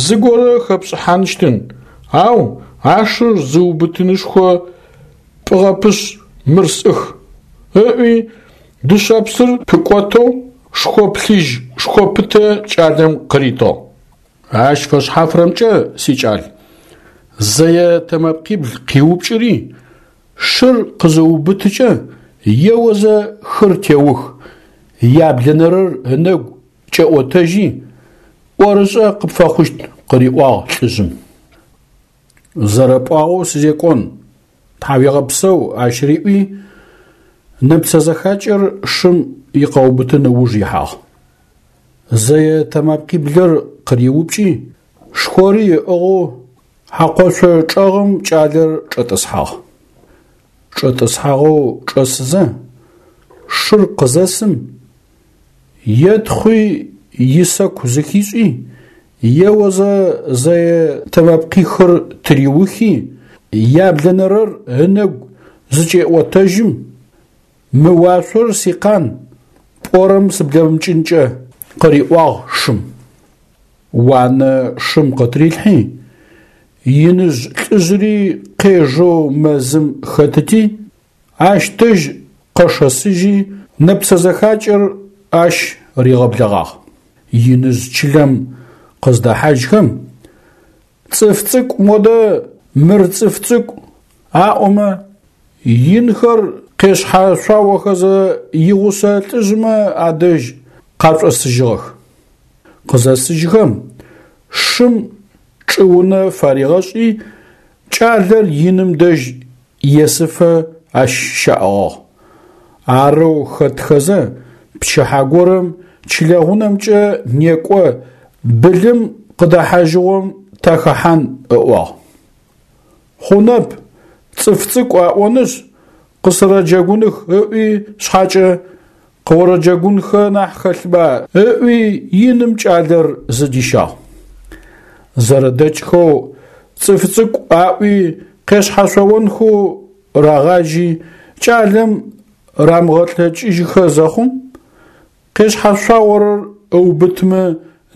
зыгорэ хэпшӏыхьаныщтын, ау а шыр зыубытынышхо пӏыгъэпышъ мыр сӏых, ыӏуи дышъэпсыр пыкӏотэу шхо плъыжь шхо пытэ кӏалэм къыритыгъ. Ащ фэшъхьафрэмкӏэ, сикӏал, зэе тэмэпкъибл къиупкӏыри, шыр къызыубытыкӏэ, еозэ хыр теух, яблэнэрэр ынэгу кӏэӏотэжьи, ӏорышӏэ къыпфэхъущт, къыриӏуагъ лӏыжъым. Зэрэпӏуагъэу сызекӏон, тхьауегъэпсэу ащ риӏуи, нэпцэ зэхакӏэр шым икъэубытын ыуж ихьагъ. Зэе тэмэпкъиблыр къыриупкӏи, шхори ыӏыгъэу хьакъошъо чӏэгъым кӏалэр чӏэтӏысхьагъ. Чӏэтӏысхьагъэу чӏэсызэ, шыр къызэсым, етхъуи исэку зыхишӏи, еозэ зэе тэмэпкъихыр тыриухи, яблэнэрэр ынэгу зыкӏеӏотэжьым, мы уашъор сикъан, пӏорэм сыблэмыкӏынкӏэ, къыриӏуагъ шым. Уанэ шым къытырилъхьи, иныжъ лӏыжъыри къежэу мэзым хэтыти, ащ дэжь къэшэсыжьи, нэпцэ зэхакӏэр ащ ригъэблэгъагъ. Иныжъ чылэм къыздэхьажьхэм, цӏыф цӏыкӏу модэ мыр цӏыф цӏыкӏу аӏомэ, инхэр къешъхьэшъуаохэзэ игъусэ лӏыжъмэ адэжь къашӏосыжьыгъэх. Къызэсыжьхэм, шым чӏыунэ фаригъэшӏи, кӏалэр иным дэжь есыфэ ащ щаӏыгъыгъ. Арэу хэтхэзэ, пчыхьэ горэм чылэгъунэмкӏэ некӏо былым къыдэхьажьыгъом тахэхьан ыӏуагъ. Хъунэп, цӏыф цӏыкӏу аӏонышъ, къысэрэджэгуных ыӏуи шъхьакӏэ, къыорэджэгунхэ нахь хэлъба ыӏуи иным кӏалэр зыдищагъ. Зэрэдэкӏхэу цӏыф цӏыкӏу аӏуи къешъхьэшъоонхэу рагъажьи, кӏалэм рамыгъэлъэкӏыжьыхэ зэхъум, къешъхьэшъуаорэр ыубытымэ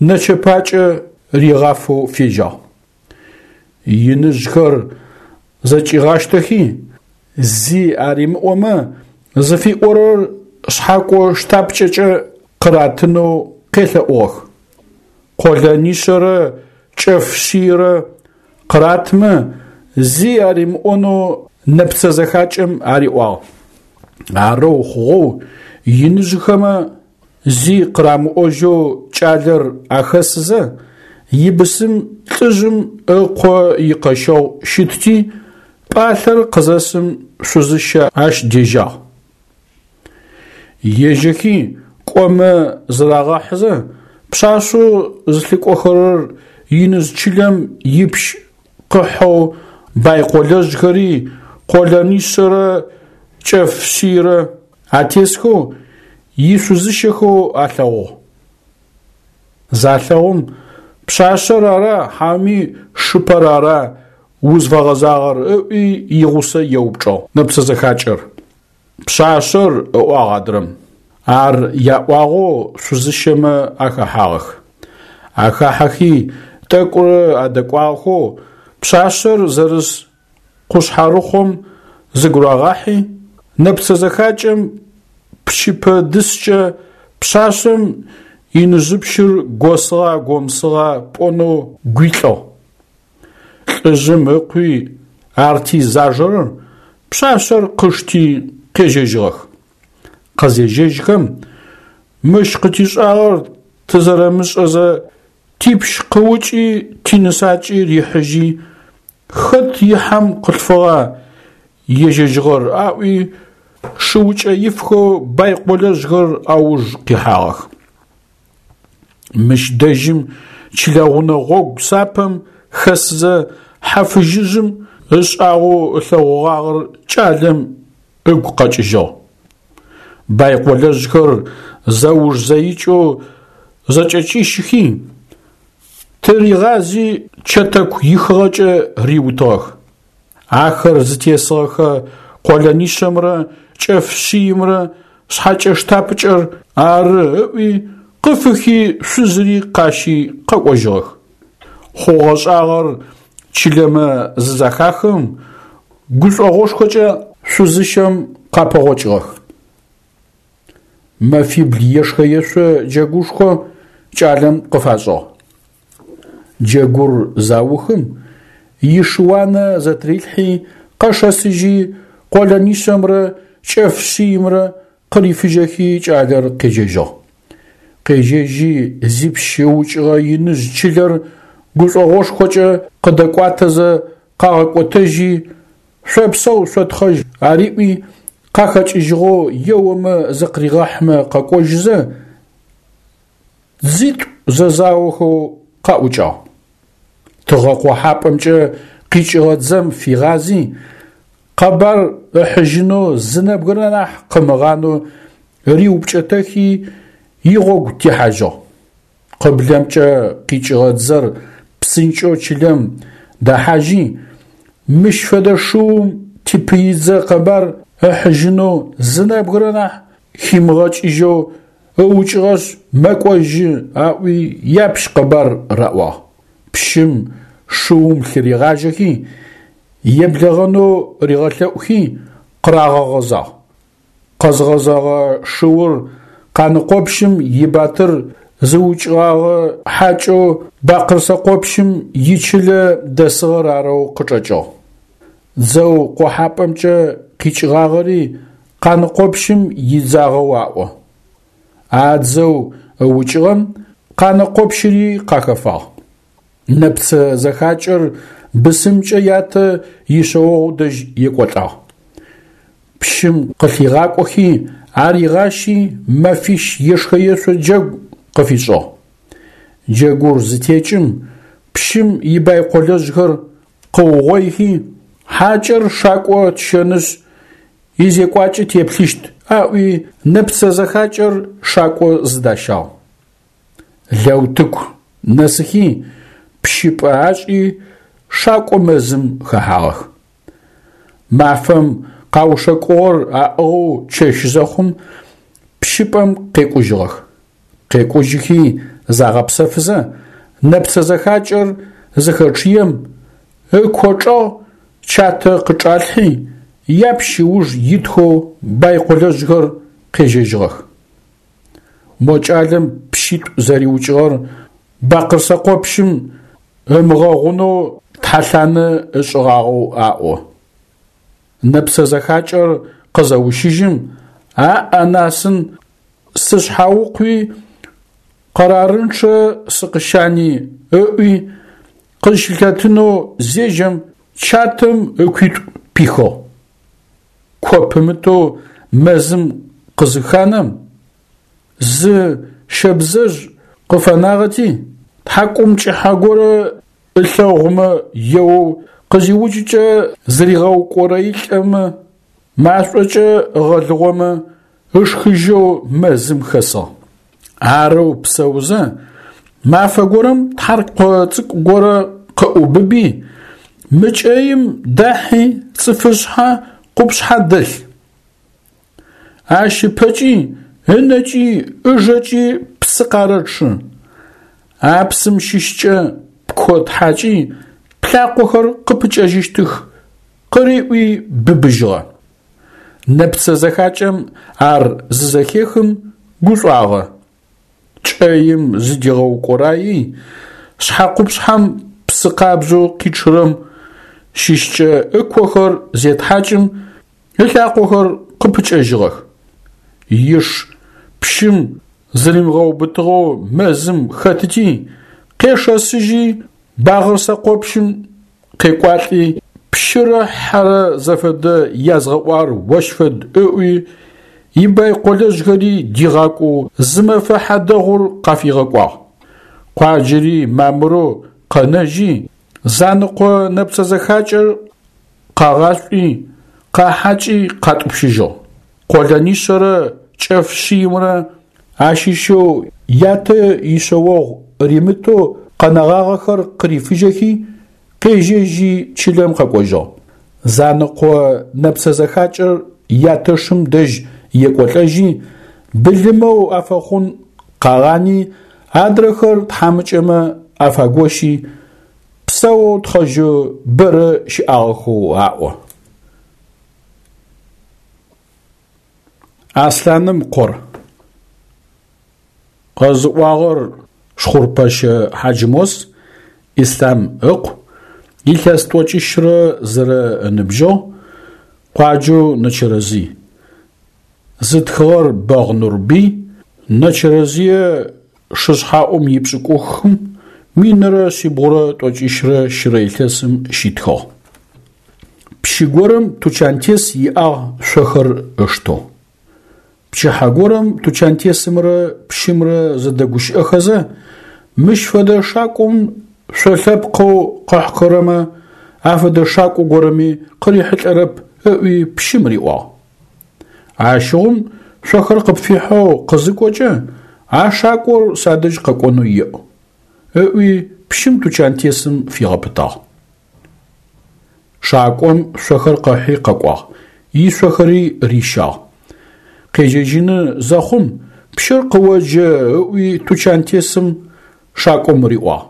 нэчэпакӏэ ригъафэу фежьагъ. Иныжъхэр зэкӏигъащтэхи, зи аримыӏомэ зыфиӏорэр шъхьакӏо штапкӏэкӏэ къыратынэу къелъэӏугъэх. Къолэнишъэрэ кӏэф шъийрэ къыратмэ, зи аримыӏонэу нэпцэ зэхакӏэм ариӏуагъ. Арэу хъугъэу иныжъхэмэ зи къырамыӏожьэу кӏалэр ахэсызэ, ибысым лӏыжъым ыкъо икъэщэгъу щытти, пӏалъэр къызэсым шъузыщэ ащ дежьагъ. Ежьэхи кӏомэ зырагъэхьызэ, пшъашъэу зылъыкӏохэрэр иныжъ чылэм ипщ къыхьэу байкъолэжъхэри къолэнишъэрэ кӏэф шъийрэ атесхэу ишъузыщэхэу алъэгъугъ. Залъэгъум, пшъашъэр ара хьауми шыпэр ара узфэгъэзагъэр ыӏуи игъусэ еупчӏыгъ нэпцэ зэхакӏэр. Пшъашъэр, ыӏуагъ адрэм. Ар яӏуагъэу шъузыщэмэ ахэхьагъэх. Ахахьэхи тӏэкӏурэ адэкӏуагъэхэу пшъашъэр зэрыс къушъхьэрыхъом зыгурагъахьи, нэпцэ зэхакӏэм пчыпэ дыскӏэ пшъашъэм иныжъыпщыр госыгъа гомысыгъа пӏонэу гуилӏыгъ. Лӏыжъым ыкъуи арти зажэрэр пшъашъэр къышти къежьэжьыгъэх. Къызежьэжьхэм, мыщ къытишӏагъэр тызэрэмышӏэзэ типщ къыукӏи тинысакӏи рихьыжьи, хэт ихьам къылъфыгъа ежьэжьыгъэр аӏуи, шыукӏэ ифхэу байколэжъхэр ауж къихьагъэх. Мыщ дэжьым чылэгъунэ гъогу сапэм хэсызэ хьэ фыжьыжъым ышӏагъэу ылъэгъугъагъэр кӏалэм ыгу къэкӏыжьыгъ. Байколэжъхэр зэуж-зэикӏэу зэкӏэкӏищыхи, тыригъази чэтэку ихыгъэкӏэ риутыгъэх. Ахэр зытесыгъэхэ къолэнишъэмрэ кӏэф шъиймрэ шъхьэкӏэ-штапыкӏэр ары ыӏуи, къыфыхи шъузыри къащи къэкӏожьыгъэх. Хъугъэ-шӏагъэр чылэмэ зызэхахым, гушӏогъошхокӏэ шъузыщэм къапэгъокӏыгъэх. Мэфибл ешхэ-ешъо джэгушхо кӏалэм къыфашӏыгъ. Джэгур заухым, ишыуанэ зэтырилъхьи, къэшэсыжьи, къолэнишъэмрэ кӏэф шъиймрэ къырифыжьэхи кӏалэр къежьэжьыгъ. Къежьэжьи зипщ ыукӏыгъэ иныжъ чылэр гушӏогъошхокӏэ къыдэкӏуатэзэ къагъэкӏотэжьи, шъопсэу шъотхъэжь ариӏуи, къахэкӏыжьыгъэу еомэ зыкъыригъэхьмэ къэкӏожьызэ, дзитӏу зэзаохэу къаӏукӏагъ. Тыгъэ къохьапӏэмкӏэ къикӏыгъэ дзэм фигъази, къэбар ыхьыжьынэу зы нэбгырэ нахь къымыгъанэу риупкӏэтэхи, игъогу техьажьыгъ. Къыблэмкӏэ къикӏыгъэ дзэр псынкӏэу чылэм дэхьажьи, мыщ фэдэ шыум типыидзэ къэбар ыхьыжьынэу зы нэбгырэ нахь химыгъэкӏыжьэу ыукӏыгъэшъ мэкӏожьы аӏуи япщ къэбар раӏуагъ. Пщым шыум лъыригъажьэхи, еблэгъэнэу ригъэлъэӏухи къырагъэгъэзагъ. Къэзгъэзэгъэ шыур Къаныкъопщым ибатыр зыукӏыгъагъэ хьакӏэу Бакъырсэкъопщым ичылэ дэсыгъэр арэу къычӏэкӏыгъ. Дзэу къохьапӏэмкӏэ къикӏыгъагъэри Къаныкъопщым идзагъэу аӏо. А дзэу ыукӏыгъэм Къанэкъопщыри къахэфагъ. Нэпцэ зэхакӏэр бысымкӏэ ятэ ишъэогъу дэжь екӏолӏагъ. Пщым къылъигъакӏохи аригъащи мэфищ ешхэ-ешъо джэгу къыфишӏыгъ. Джэгур зытекӏым, пщым ибайколэжъхэр къыугъоихи, хьакӏэр шакӏо тщэнышъ, изекӏуакӏэ теплъыщт аӏуи нэпцэ зэхакӏэр шакӏо зыдащагъ. Лэутыку нэсыхи, пщыпӏэ ашӏи, шакӏо мэзым хэхьагъэх. Мафэм къаушэкӏугъэр аӏыгъэу чэщ зэхъум, пщыпӏэм къекӏужьыгъэх. Къекӏужьыхи загъэпсэфызэ, нэпцэ зэхакӏэр зыхэчъыем, ыко чӏэгъ чатэ къычӏалъхьи, япщ ыуж итхэу байколэжъхэр къежьэжьыгъэх. Мо кӏалэм пщитӏу зэриукӏыгъэр Бакъырсэкъопщым ымыгъэгъунэу тхьэлъанэ ышӏыгъагъэу аӏо. Нэпцэ зэхакӏэр къызэущыжьым, аӏ-анасын сышъхьаукъуи, къэрарынчъэ сыкъыщани ыӏуи, къызщылъэтынэу зежьэм, чатэм ыкуитӏу пихыгъ. Ко пымытэу мэзым къызыханэм, зы щэбзэжъ къыфэнагъэти, тхьакӏумкӏыхьэ горэ ылъэгъумэ еоу къызиукӏыкӏэ зыригъэукӏорэилӏэмэ, машӏокӏэ ыгъэлыгъомэ ышхыжьэу мэзым хэсыгъ. Арэу псэузэ, мафэ горэм тхьаркъо цӏыкӏу горэ къыӏубыби, мы кӏэим дахьи цӏыфышъхьэ къупшъхьэ дэлъ. Ащ ыпэкӏи, ынэкӏи, ыжэкӏи псы къарэчъы. А псым щыщкӏэ пко тхьакӏи, плъакъохэр къыпыкӏэжьыщтых, къыриӏуи быбыжьыгъэ. Нэпцэ зэхакӏэм ар зызэхехым гушӏуагъэ. Кӏэим зыдигъэукӏораий, шъхьэкъупшъхьэм псы къабзэу къичъырэм щыщкӏэ ыкохэр зетхьакӏым, ылъакъохэр къыпыкӏэжьыгъэх. Иш пщым зыримыгъэубытыгъэу мэзым хэтыти, къешэсыжьи Багъырсэкъопщым къекӏуалӏи, Пщырэ хьэрэ зэфэдэ язгъэӏуагъэр ощ фэд ыӏуи, ибайколэжъхэри дигъакӏоу зы мэфэ хьадэгъур къафигъэкӏуагъ. Къуаджэри мамырэу къэнэжьи, Занэкъо нэпцэ зэхакӏэр къагъашӏуи, къахьакӏи къатӏупщыжьыгъ. Къолэнишъэрэ кӏэф шъиймрэ ащыщэу ятэ ишъэогъу римытэу къэнэгъагъэхэр къырифыжьэхи, къежьэжьи чылэм къэкӏожьыгъ. Занэкъо нэпцэ зэхакӏэр ятэшым дэжь екӏолӏэжьи, былымэу афэхъун къагъани, адрэхэр тхьамыкӏэмэ афагощи, псэоу тхъэжьэу бэрэ щыӏагъэхэу аӏо. Аслъаным къор. Къэзыӏуагъэр Шхъурпэщэ Хьаджмос Ислъам ыкъу, илъэс тӏокӏищрэ зырэ ыныбжьыгъ, къуаджэу Нэчэрэзый. Зытхыгъэр Бэгъ Нурбый, Нэчэрэзые шышъхьэӏум ипшӏыкӏухым минрэ шъибгъурэ тӏокӏищрэ щырэ илъэсым щитхыгъ. Пщы горэм тучантес иӏагъ шъохэр ыштэу. Пчыхьэ горэм тучантесымрэ пщымрэ зэдэгущыӏэхэзэ, мыщ фэдэ шакӏом шъо лъэпкъэу къыхьхэрэмэ афэдэ шакӏо горэми къырихьылӏэрэп ыӏуи пщым риӏуагъ. Ащыгъум шъохэр къыпфихьэу къызыкӏокӏэ, а шакӏор садэжь къэкӏонэу еӏу, ыӏуи пщым тучантесым фигъэпытагъ. Шакӏом шъохэр къыхьи къэкӏуагъ, ишъохэри рищагъ. Къежьэжьыны зэхъум пщыр къыоджэ ыӏуи тучантесым шакӏом риӏуагъ.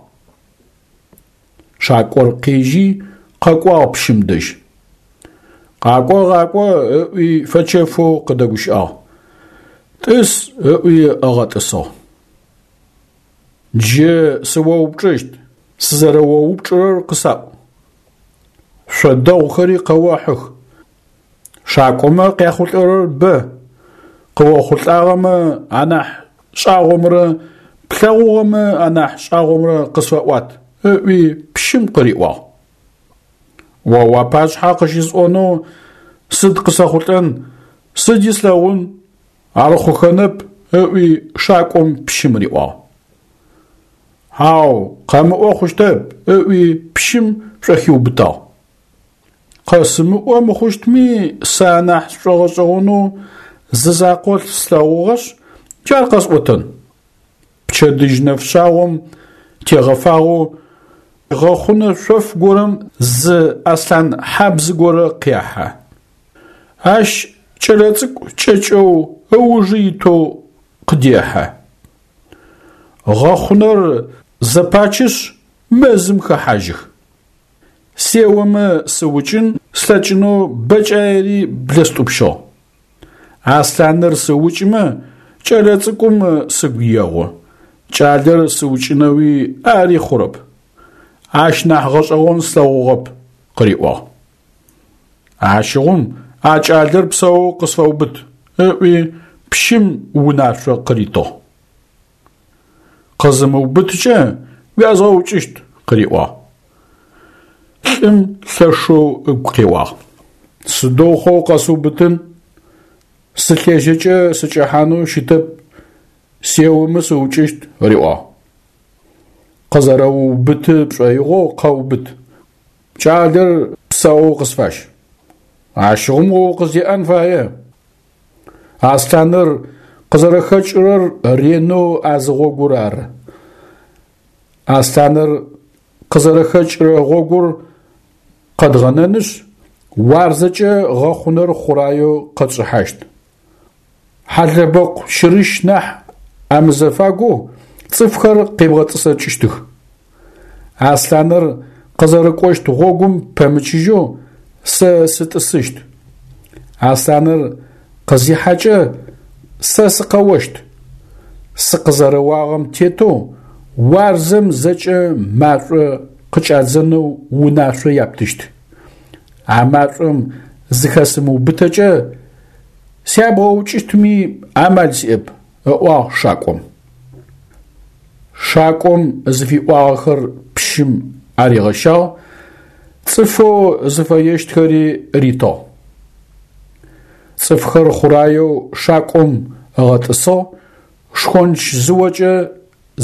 Шакӏор къежьи къэкӏуагъ пщым дэжь. Къакӏо, къакӏо ыӏуи фэчэфэу къыдэгущыӏагъ. Тӏыс ыӏуи ыгъэтӏысыгъ. Джы сыоупчӏыщт, сызэрэоупчӏырэр къысаӏу. Шъо дэгъухэри къэохьых. Шакӏомэ къяхъулӏэрэр бэ. Къыохъулӏагъэмэ анахь шӏагъомрэ плъэгъугъэмэ анахь шӏагъомрэ къысфэӏуат, ыӏуи пщым къыриӏуагъ. О уапашъхьэ къыщысӏонэу сыд къысэхъулӏэн, сыди слъэгъун, ар хъухэнэп, ыӏуи шакӏом пщым риӏуагъ. Хьау, къэмыӏо хъущтэп, ыӏуи пщым шӏохиубытагъ. Къэсымыӏо мыхъущтми сэ анахь сшӏогъэшӏэгъонэу зы закъо слъэгъугъэшъ, джар къэсӏотэн. Пчэдыжь нэфшъагъом тегъэфагъэу гъэхъунэ шъоф горэм зы аслъан хьабз горэ къехьэ. Ащ кӏэлэцӏыкӏу кӏэкӏэу ыужы итэу къыдехьэ. Гъэхъунэр зэпачышъ мэзым хэхьажьых. Сеомэ сыукӏын слъэкӏынэу бэкӏаери блэстӏупщыгъ. Аслъаныр сыукӏымэ кӏэлэцӏыкӏум сыгу егъу, кӏалэр сыукӏынэуи ари хъурэп. Ащ нахь гъэшӏэгъон слъэгъугъэп, къыриӏуагъ. Ащыгъум а кӏалэр псэоу къысфэубыт, ыӏуи пщым унашъо къыритыгъ. Къызымыубыткӏэ уязгъэукӏыщт, къыриӏуагъ. Лӏым лъэшэу ыгу къеуагъ. Сыдэу хъоу къэсыубытын, сылъежьэкӏэ сыкӏэхьанэу щытэп, сеомэ сыукӏыщт, риӏуагъ. Къызэрэуубыты пшӏоигъоу къэубыт. Кӏалэр псэоу къысфащ. Ащыгъум о укъыздеӏэн фае. Аслъаныр къызэрэхэкӏырэр ренэу а зы гъогур ары. Аслъаныр къызэрэхэкӏырэ гъогур къэдгъэнэнышъ, уарзэкӏэ гъэхъунэр хъураеу къэтшӏыхьащт. Хьалэбэкъу щырыщ нахь амызэфагоу цӏыфхэр къебгъэтӏысэкӏыщтых. Аслъаныр къызэрыкӏощт гъогум пэмычыжьэу сэ сытӏысыщт. Аслъаныр къызихьэкӏэ сэ сыкъэощт. Сыкъызэрэуагъэм тетэу уарзэм зэкӏэ машӏо къыкӏадзэнэу унашъо яптыщт. А машӏом зыхэсымыубытэкӏэ сябгъэукӏыщтми амал сиӏэп, ыӏуагъ шакӏом. Шакӏом зыфиӏуагъэхэр пщым аригъэщагъ, Цӏыфэу зыфэещтхэри ритыгъ. Цӏыфхэр хъураеу шакӏом ыгъэтӏысыгъ, шхонч зыокӏэ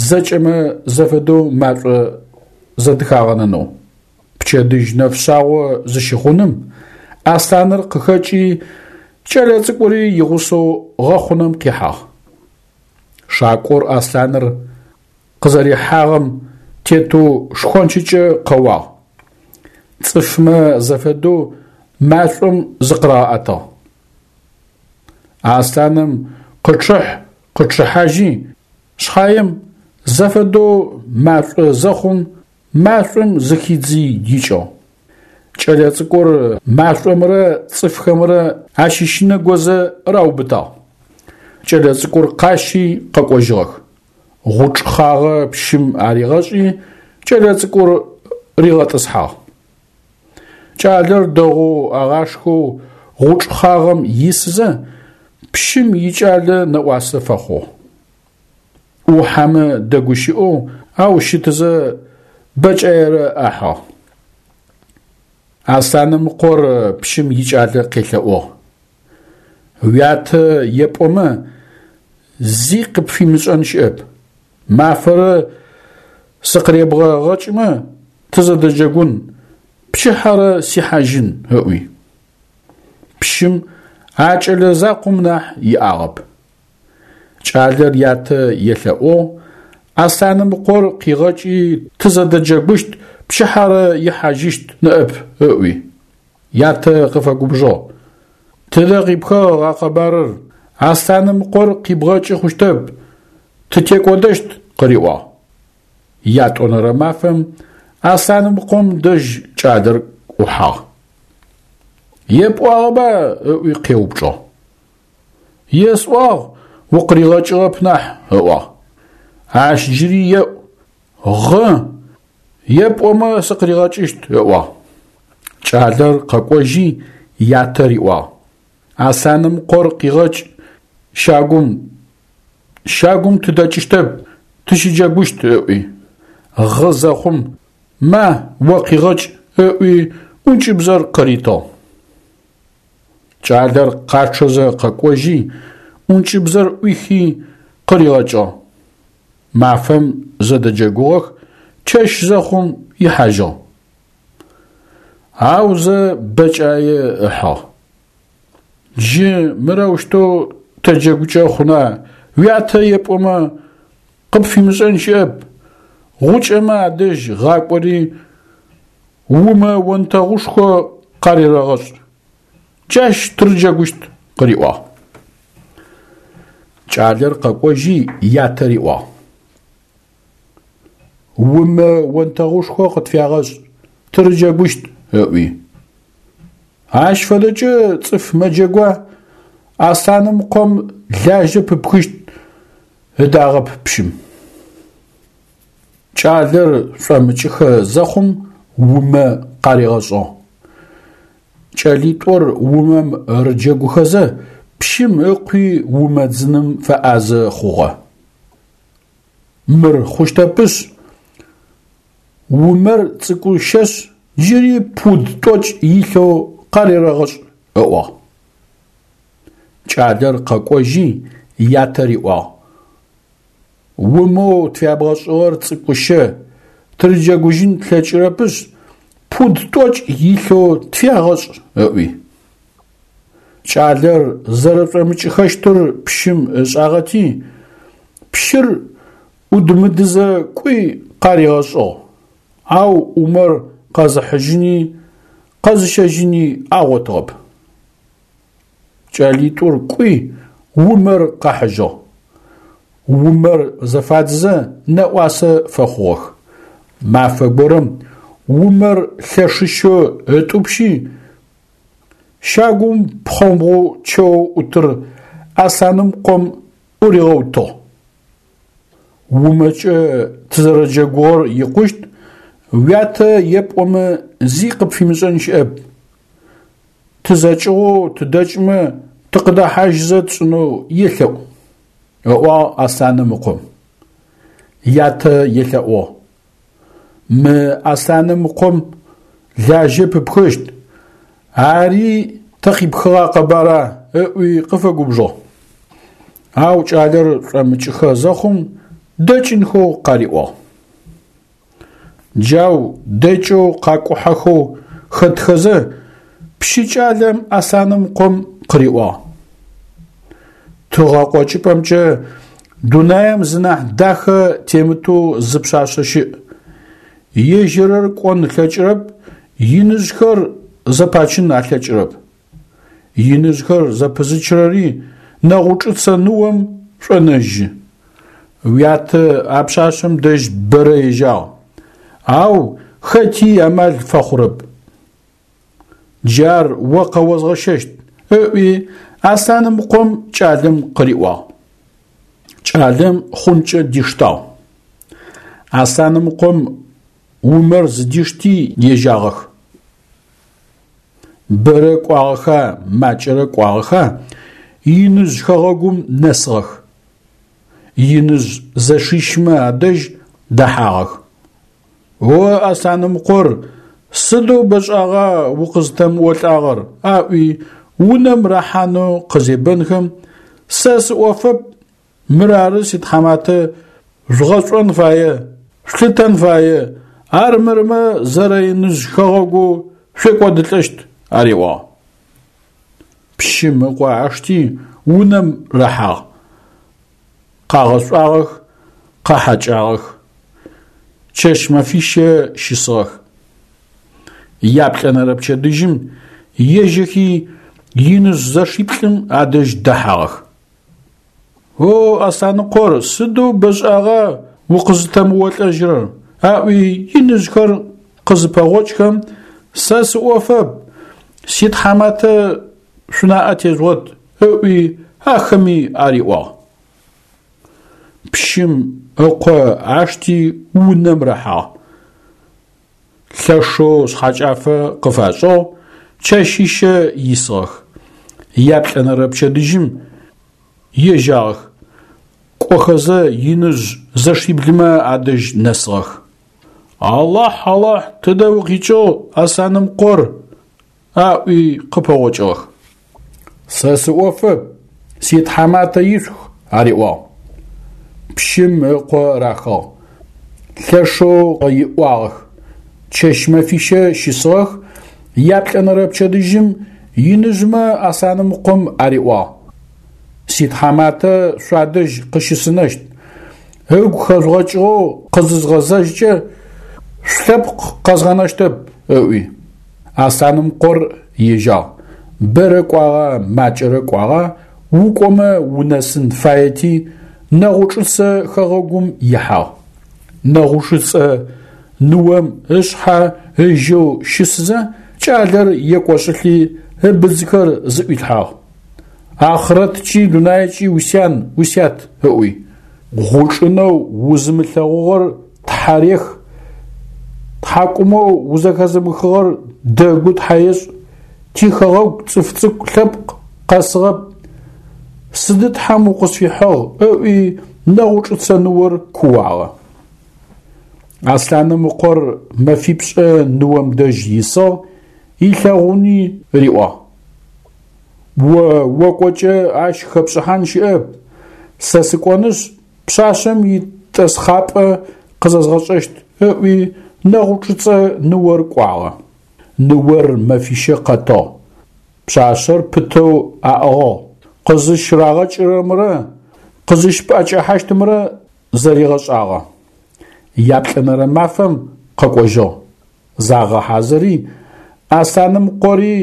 зэкӏэмэ зэфэдэу машӏо зэдыхагъэнэнэу. Пчэдыжь нэфшъагъо зыщыхъуным аслъаныр къыхэкӏи, кӏэлэцӏыкӏури игъусэу гъэхъунэм къихьагъ. Шакӏор аслъаныр къызэрихьагъэм тетэу шхончыкӏэ къэуагъ. Цӏыфмэ зэфэдэу машӏом зыкъырагъэӏэтыгъ. Аслъаным къычъыхь-къычъыхьажьи, шъхьаем зэфэдэу машӏо зэхъум, машӏом зыхидзи икӏыгъ. Кӏэлэцӏыкӏур машӏомрэ цӏыфхэмрэ ащыщынэгозэ раубытагъ. Кӏэлэцӏыкӏур къащи къэкӏожьыгъэх. Гъучӏ хъагъэ пщым аригъэшӏи, кӏэлэцӏыкӏур ригъэтӏысхьагъ. Кӏалэр дэгъоу агъашхэу гъучӏ хъагъэм исызэ, пщым икӏалэ нэӏуасэ фэхъугъ. Ӏухьэмэ дэгущыӏэу, ау щытызэ бэкӏаерэ ахьыгъ. Аслъаным ыкъор пщым икӏалэ къелъэӏугъ: «Уятэ епӏомэ, зи къыпфимышӏэн щыӏэп. Мафэрэ сыкъыребгъэгъэкӏымэ, тызэдэджэгун, пчыхьэрэ сихьажьын», – ыӏуи. Пщым а кӏэлэ закъом нахь иӏагъэп. Кӏалэр ятэ елъэӏугъ, Аслъаным ыкъор къигъэкӏи тызэдэджэгущт, пчыхьэрэ ихьажьыщт ныӏэп, ыӏуи. Ятэ къыфэгубжыгъ: «Тыдэ къипхыгъ а къэбарыр, Аслъаным ыкъор къибгъэкӏы хъущтэп, тытекӏодэщт», – къыриӏуагъ. Ятӏонэрэ мафэм Аслъаным ыкъом дэжь кӏалэр ӏухьагъ. «Епӏуагъэба?» – ыӏуи къеупчӏыгъ. «Есӏуагъ, укъыригъэкӏыгъэп нахь», – ыӏуагъ. «Ащ джыри еӏу, гъы, епӏомэ сыкъыригъэкӏыщт», – ыӏуагъ. Кӏалэр къэкӏожьи ятэ риӏуагъ: «Аслъаным ыкъор къигъэкӏ щагум, щагум тыдэкӏыщтэп, тыщыджэгущт», – ыӏуи. Гъы зэхъум «Ма, о къигъэкӏ», – ыӏуи ӏункӏыбзэр къыритыгъ. Кӏалэр къачъэзэ къэкӏожьи, ӏункӏыбзэр ӏуихи къыригъэкӏыгъ. Мафэм зэдэджэгугъэх, чэщ зэхъум ихьажьыгъ. Аузэ бэкӏае ыхьыгъ. Джы мырэущтэу тэджэгукӏэ хъуна, уятэ епӏомэ, къыпфимышӏэн щыӏэп, гъукӏэмэ адэжь гъакӏори, умэ онтэгъушхо къарерэгъэшӏ. Джащ тырыджэгущт, къыриӏуагъ. Кӏалэр къэкӏожьи ятэ риӏуагъ: «Умэ онтэгъушхо къытфягъэшӏ, тырыджэгущт», – ыӏуи. Ащ фэдэкӏэ цӏыф мэджэгуа, Аслъаным ыкъом лажьэ пыпхыщт, ыдагъэп пщым. Кӏалэр шӏомыкӏыхэ зэхъум умэ къаригъэшӏыгъ. Кӏэлитӏур умэм рыджэгухэзэ, пщым ыкъуи умэ дзыным фэӏазэ хъугъэ. Мыр хъущтэпышъ, умэр цӏыкӏущэшъ, джыри пуд тӏокӏ илъэу къарерэгъэшӏ, ыӏуагъ. Кӏалэр къэкӏожьи ятэ риӏуагъ: «Умэу тфябгъэшӏыгъэр цӏыкӏущэ, тырыджэгужьын тлъэкӏырэпышъ, пуд тӏокӏ илъэу тфягъэшӏ», – ыӏуи. Кӏалэр зэрэшӏомыкӏыхэщтыр пщым ышӏагъэти, пщыр ӏудмыдызэ кӏуи къаригъэшӏыгъ, ау умэр къэзыхьыжьыни къэзыщэжьыни агъотыгъэп. Кӏэлитӏур кӏуи умэр къахьыжьыгъ. Умэр зэфадзызэ нэӏуасэ фэхъугъэх. Мафэ горэм умэр лъэшыщэу ытӏупщи, щагум пхъэмбгъу чэу ӏутыр Аслъаным къом ӏуригъэутыгъ. Умэкӏэ тызэрэджэгугъэр икъущт, уятэ епӏомэ зи къыпфимышӏэн щыӏэп. Тызэкӏыгъоу тыдэкӏмэ тыкъыдэхьажьызэ тшӏынэу елъэӏу, ыӏуагъ Аслъаным ыкъом. Ятэ елъэӏугъ: «Мы Аслъаным ыкъом лажьэ пыпхыщт, ари тэ къипхыгъа къэбара ыӏуи къыфэгубжыгъ. Ау кӏалэр шӏомыкӏыхэ зэхъум дэкӏынхэу къариӏуагъ. Джау дэкӏэу къакӏухьэхэу хэтхэзэ, пщы кӏалэм Аслъаным къом къыриӏуагъ: Тыгъэ къокӏыпӏэмкӏэ дунаим зы нахь дахэ темытэу зы пшъашъэ щыӏ. Ежьырэр кӏон ылъэкӏырэп, иныжъхэр зэпачын алъэкӏырэп. Иныжъхэр зэпызычырэри Нэгъучӏыцэ ныом шӏонэжьы. Уятэ а пшъашъэм дэжь бэрэ ежьагъ, ау хэти амал фэхъурэп. Джар о къэозгъэщэщт, ыӏуи Аслъаным къом кӏалэм къыриӏуагъ. Кӏалэм хъункӏэ диштагъ. Аслъаным къом Умэр зыдишти ежьагъэх. Бэрэ кӏуагъэха, макӏэрэ кӏуагъэха, иныжъ хэгъэгум нэсыгъэх. Иныжъ зэшищмэ адэжь дэхьагъэх. О Аслъанымыкъор, сыдэу бэшӏагъа укъызтэмыолӏагъэр, аӏуи унэм рахьанэу къызебэнхэм, сэ сыӏофэп, мырары ситхьаматэ жъугъэшӏон фае, шъулъытэн фае, армырмэ зэрэиныжъ хэгъэгоу шъуекӏодылӏэщт, ариӏуагъ. Пщым ыкъо ашти унэм рахьагъ. Къагъэшӏуагъэх, къахьакӏагъэх. Чэщ-мэфищэ щысыгъэх. Яплӏэнэрэ пчэдыжьым ежьэхи иныжъ зэшиплӏым адэжь дэхьагъэх. О, Аслъаныкъор, сыдэу бэшӏагъа укъызытэмыолӏэжьырэр, аӏуи иныжъхэр къызыпэгъокӏхэм, сэ сыӏофэп, ситхьаматэ шъунаӏэ тежъугъэт, ыӏуи ахэми ариӏуагъ. Пщым ыкъо ашти унэм рахьагъ. Лъэшэу шъхьэкӏафэ къыфашӏыгъ, чэщищэ исыгъэх. Яплӏэнэрэ пчэдыжьым ежьагъэх, кӏохэзэ иныжъ зэшиблымэ адэжь нэсыгъэх. Алахь, Алахь, тыдэ укъикӏыгъ, Аслъанымкъор? Аӏуи къыпэгъокӏыгъэх. Сэ сыӏофэп, ситхьаматэ ишъух, ариӏуагъ. Пщым ыкъо рахыгъ. Лъэшэу иӏуагъэх. Чэщ-мэфищэ щысыгъэх, яплӏэнэрэ пчэдыжьым иныжъмэ Аслъанымкъом ариӏуагъ: Ситхьаматэ шъуадэжь къыщысынэщт, ыгу хэжъугъэкӏыгъэу къызызгъэзэжькӏэ шъулъэпкъ къэзгъэнэщтэп, ыӏуи. Аслъанымкъор ежьагъ. Бэрэ кӏуагъа, макӏэрэ кӏуагъа, укӏомэ унэсын фаети, Нэгъучӏыцэ хэгъэгум ихьагъ. Нэгъучӏыцэ ныом ышъхьэ ыжьэу щысызэ, кӏалэр екӏошӏылӏи ыбзыхэр зыӏуилъхьагъ. Ахърэткӏи дунайкӏи усян, усят, ыӏуи. Гъучӏынэу узымылъэгъугъэр тхьарех, тхьакӏумэу узэхэзымыхыгъэр дэгу тхьаешӏ, тихэгъэгу цӏыф цӏыкӏу лъэпкъ къэсыгъэп, сыды тхьэм укъысфихьыгъ, ыӏуи Нэгъучӏыцэ ныор кууагъэ. Аслъаным ыкъор мэфипшӏэ ныом дэжь исыгъ, илъэгъуни риӏуагъ. О окӏокӏэ ащ хэпшӏыхьан щыӏэп, сэ сыкӏонышъ пшъашъэм итӏэсхъапӏэ къызэзгъэшӏэщт, ыӏуи Нэгъучӏыцэ ныор кӏуагъэ. Ныор мэфищэ къэтыгъ. Пшъашъэр пытэу аӏыгъыгъ. Къызыщырагъэкӏырэмрэ къызыщыпӏэкӏэхьащтымрэ зэригъэшӏагъэ. Яплӏэнэрэ мафэм къэкӏожьыгъ. Загъэхьазыри, Аслъаным къори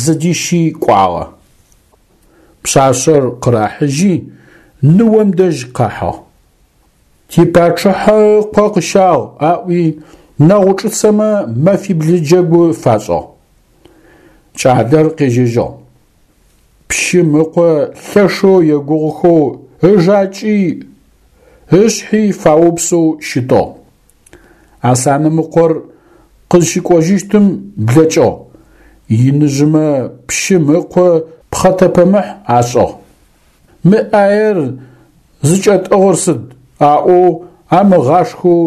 зыдищи кӏуагъэ. Пшъашъэр къырахьыжьи, ныом дэжь къахьыгъ. Типачъыхьэ ыкъо къыщагъ, аӏуи Нэгъучӏыцэмэ мэфибл джэгу фашӏыгъ. Кӏалэр къежьэжьыгъ. Пщым ыкъо лъэшэу егугъухэу ыжакӏи ышъхьи фаупсэу щытыгъ. Аслъаным ыкъор къызщыкӏожьыщтым блэкӏыгъ. Иныжъымэ пщым ыкъо пхъэтэпэмыхь ашӏыгъ. Мы ӏаер зыкӏэтӏыгъыр сыд? Аӏоу амыгъашхэу,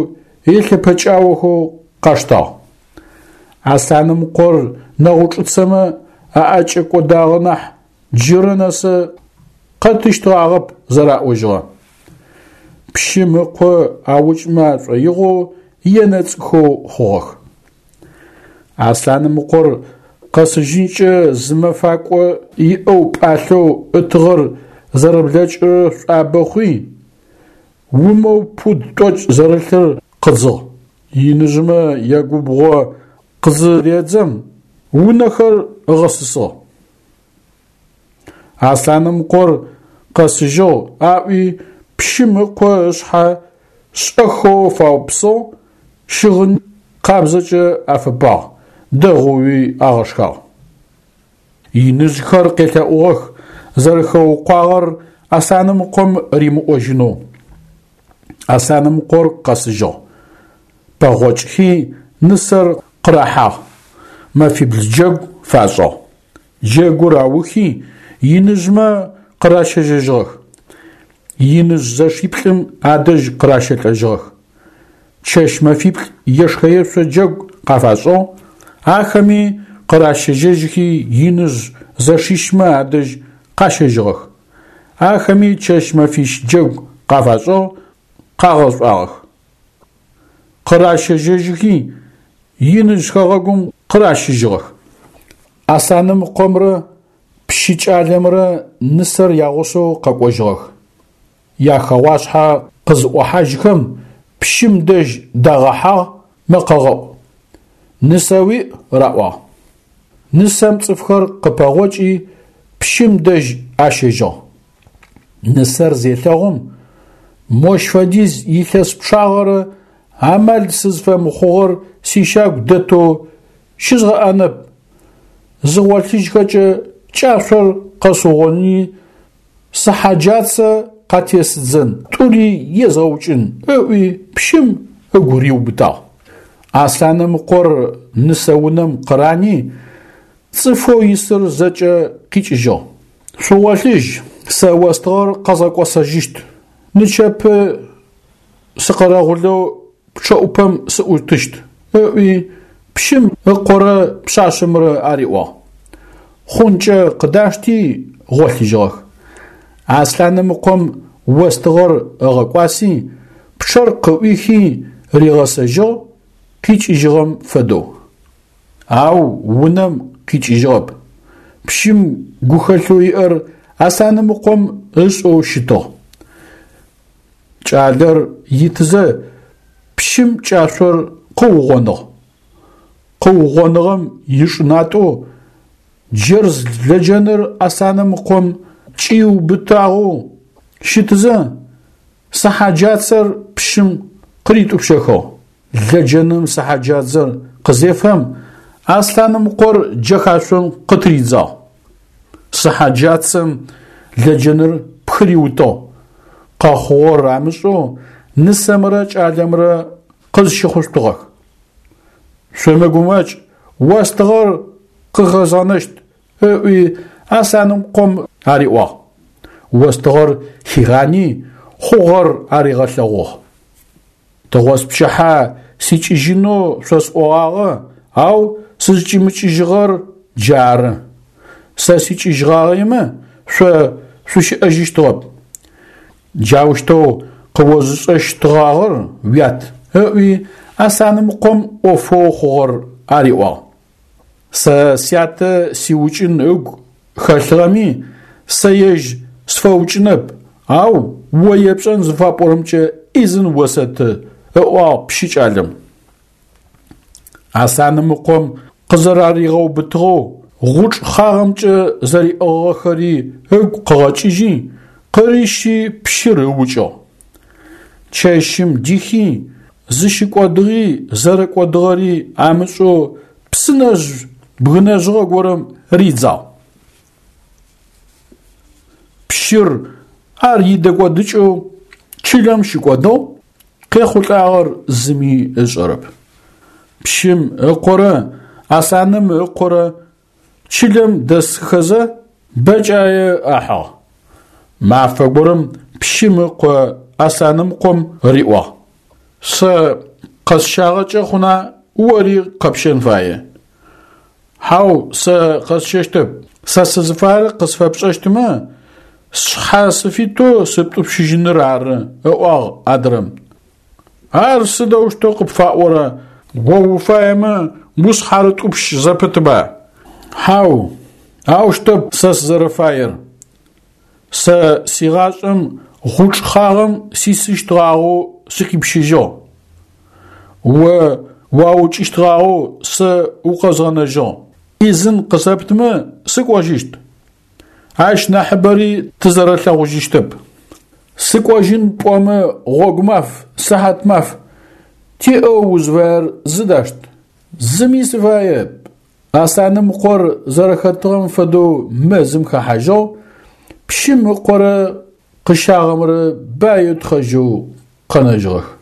елъэпэкӏаохэу къаштагъ. Аслъанэмыкъор нэгъучӏыцэмэ аӏэкӏэкӏодагъэ нахь джырэ нэсэ къэтыщтыгъагъэп зэраӏожьыгъэ. Пщым ыкъо аукӏымэ ашӏоигъоу енэцӏыхэу хъугъэх. Аслъанэмыкъор къэсыжьынкӏэ зы мэфакӏо иӏэу пӏалъэу ытыгъэр зэрэблэкӏырэр шӏуабэ хъуи, умэу пуд тӏокӏ зэрылъыр къыдзыгъ. Иныжъмэ ягубгъо къызыредзэм, унэхэр ыгъэсысыгъ. Аслъанэмыкъор къэсыжьыгъ аӏуи пщым ыкъо ышъхьэ шӏэхэу фаупсыгъ, щыгъын къабзэкӏэ афэпагъ, дэгъоуи агъэшхагъ. Иныжъхэр къелъэӏугъэх зэрэхэукъуагъэр Аслъанэмыкъом римыӏожьынэу. Аслъанэмыкъор къэсыжьыгъ. Пэгъокӏхи нысэр къырахьагъ, мэфибл джэгу фашӏыгъ. Джэгур аухи иныжъмэ къыращэжьэжьыгъэх. Иныжъ зэшиплӏым адэжь къыращэлӏэжьыгъэх. Чэщ-мэфиплӏ ешхэ-ешъо джэгу къафашӏыгъ, ахэми къыращэжьэжьхи иныжъ зэшищмэ адэжь къащэжьыгъэх. Ахэми чэщ-мэфищ джэгу къафашӏыгъ, къагъэшӏуагъэх. Къыращэжьэжьхи иныжъ хэгъэгум къыращыжьыгъэх. Аслъанэмыкъомрэ пщы кӏалэмрэ нысэр ягъусэу къэкӏожьыгъэх. Яхэгъуашъхьэ къызыӏохьажьхэм пщым дэжь дагъэхьагъ мэкъэгъэӏу. Нысэ уиӏ раӏуагъ. Нысэм цӏыфхэр къыпэгъокӏи пщым дэжь ащэжьыгъ. Нысэр зелъэгъум, мощ фэдиз илъэс пчъагъэрэ амал сызфэмыхъугъэр сищагу дэтэу щызгъэӏэнэп, зыгъолъыжьхэкӏэ кӏашъор къэсыугъоини сыхьэджацэ къатесыдзэн, тӏури езгъэукӏын ыӏуи пщым ыгу риубытагъ. Аслъанэмыкъор нысэ унэм къырани, цӏыфэу исыр зэкӏэ къикӏыжьыгъ. Шъугъолъыжь, сэ остыгъэр къэзгъэкӏосэжьыщт, нычэпэ сыкъэрэгъулэу пчъэӏупэм сыӏутыщт, ыӏуи пщым ыкъорэ пшъашъэмрэ ариӏуагъ. Хъункӏэ къыдашти гъолъыжьыгъэх. Аслъанэмыкъом остыгъэр ыгъэкӏуаси, пчъэр къыӏуихи ригъэсэжьыгъ, къикӏыжьыгъэм фэдэу. Ау унэм къикӏыжьыгъэп. Пщым гухэлъэу иӏэр Аслъанэмыкъом ышӏэу щытыгъ. Кӏалэр итызэ пщым кӏашъор къыугъоныгъ. Къыугъоныгъэм ишӏынатӏэу джэрз лэджэныр Аслъанэмыкъом кӏиубытагъэу щытызэ, сыхьэджацэр пщым къыритӏупщэхыгъ. Лэджэным сыхьэджадзэр къызефэм, Аслъанэмыкъор джэхашъом къытыридзагъ. Сыхьэджацэм лэджэныр пхыриутыгъ. Къэхъугъэр амышӏэу нысэмрэ кӏалэмрэ къызщыхъущтыгъэх. Шъумыгумэкӏ, остыгъэр къыхэзгъэнэщт, ыӏуи Аслъанэмыкъом ариӏуагъ. Остыгъэр хигъани, хъугъэр аригъэлъэгъугъ. Тыгъоспчыхьэ сикӏыжьынэу шъосӏогъагъэ, ау сызкӏимыкӏыжьыгъэр джары. Сэ сикӏыжьыгъагъэмэ, шъо шъущыӏэжьыщтыгъэп. Джаущтэу къыозышӏэщтыгъагъэр уят, ыӏуи Аслъанэмыкъом ӏофэу хъугъэр ариӏуагъ. Сэ сятэ сиукӏын ыгу хэлъыгъэми, сэ ежь сфэукӏынэп, ау о епшӏэн зыфапӏорэмкӏэ ӏизын осэты, ыӏуагъ пщы кӏалэм. Аслъанэмыкъом къызэраригъэубытыгъэу гъучӏ хъагъэмкӏэ зэриӏыгъыгъэхэри ыгу къыгъэкӏыжьи, къырищи пщыр ыукӏыгъ. Чэщым дихи, зыщыкӏодыгъи зэрэкӏодыгъэри амышӏэу псынэжъ бгынэжьыгъэ горэм ридзагъ. Пщыр ар идэкӏодыкӏэу чылэм щыкӏодыгъ, къехъулӏагъэр зыми ышӏэрэп. Пщым ыкъорэ Аслъаным ыкъорэ чылэм дэсхэзэ бэкӏае ахьыгъ. Мафэ горэм пщым ыкъо Аслъанэмыкъом риӏуагъ: Сэ къэсщагъэкӏэ хъуна ори къэпщэн фае. Хьау, сэ къэсщэщтэп. Сэ сызыфаер къысфэпшӏэщтмэ, сшъхьэ сыфитэу сыптӏупщыжьыныр ары, ыӏуагъ адрэм. Ар сыдэущтэу къыпфаӏора, о уфаемэ ушъхьарытӏупщ зэпытба? Хьау, аущтэп сэ сызэрэфаер. Сэ сигъашӏэм гъучӏ хъагъэм сисыщтгъагъэу сыкъипщыжьыгъ. О уаукӏыщтгъагъэу сэ укъэзгъэнэжьыгъ. Ӏизын къысэптмэ, сыкӏожьыщт. Ащ нахьыбэри тызэрэлъэгъужьыщтэп. Сыкӏожьын пӏомэ, гъогу маф, сыхьат маф, тиӏэу узфаер зыдашт. Зыми сыфаеп. Аслъаным къор зэрэхэтыгъэм фэдэу мэзым хэхьажьыгъ, пщым ыкъорэ къыщагъэмрэ баеу тхъэжьэу къэнэжьыгъэх.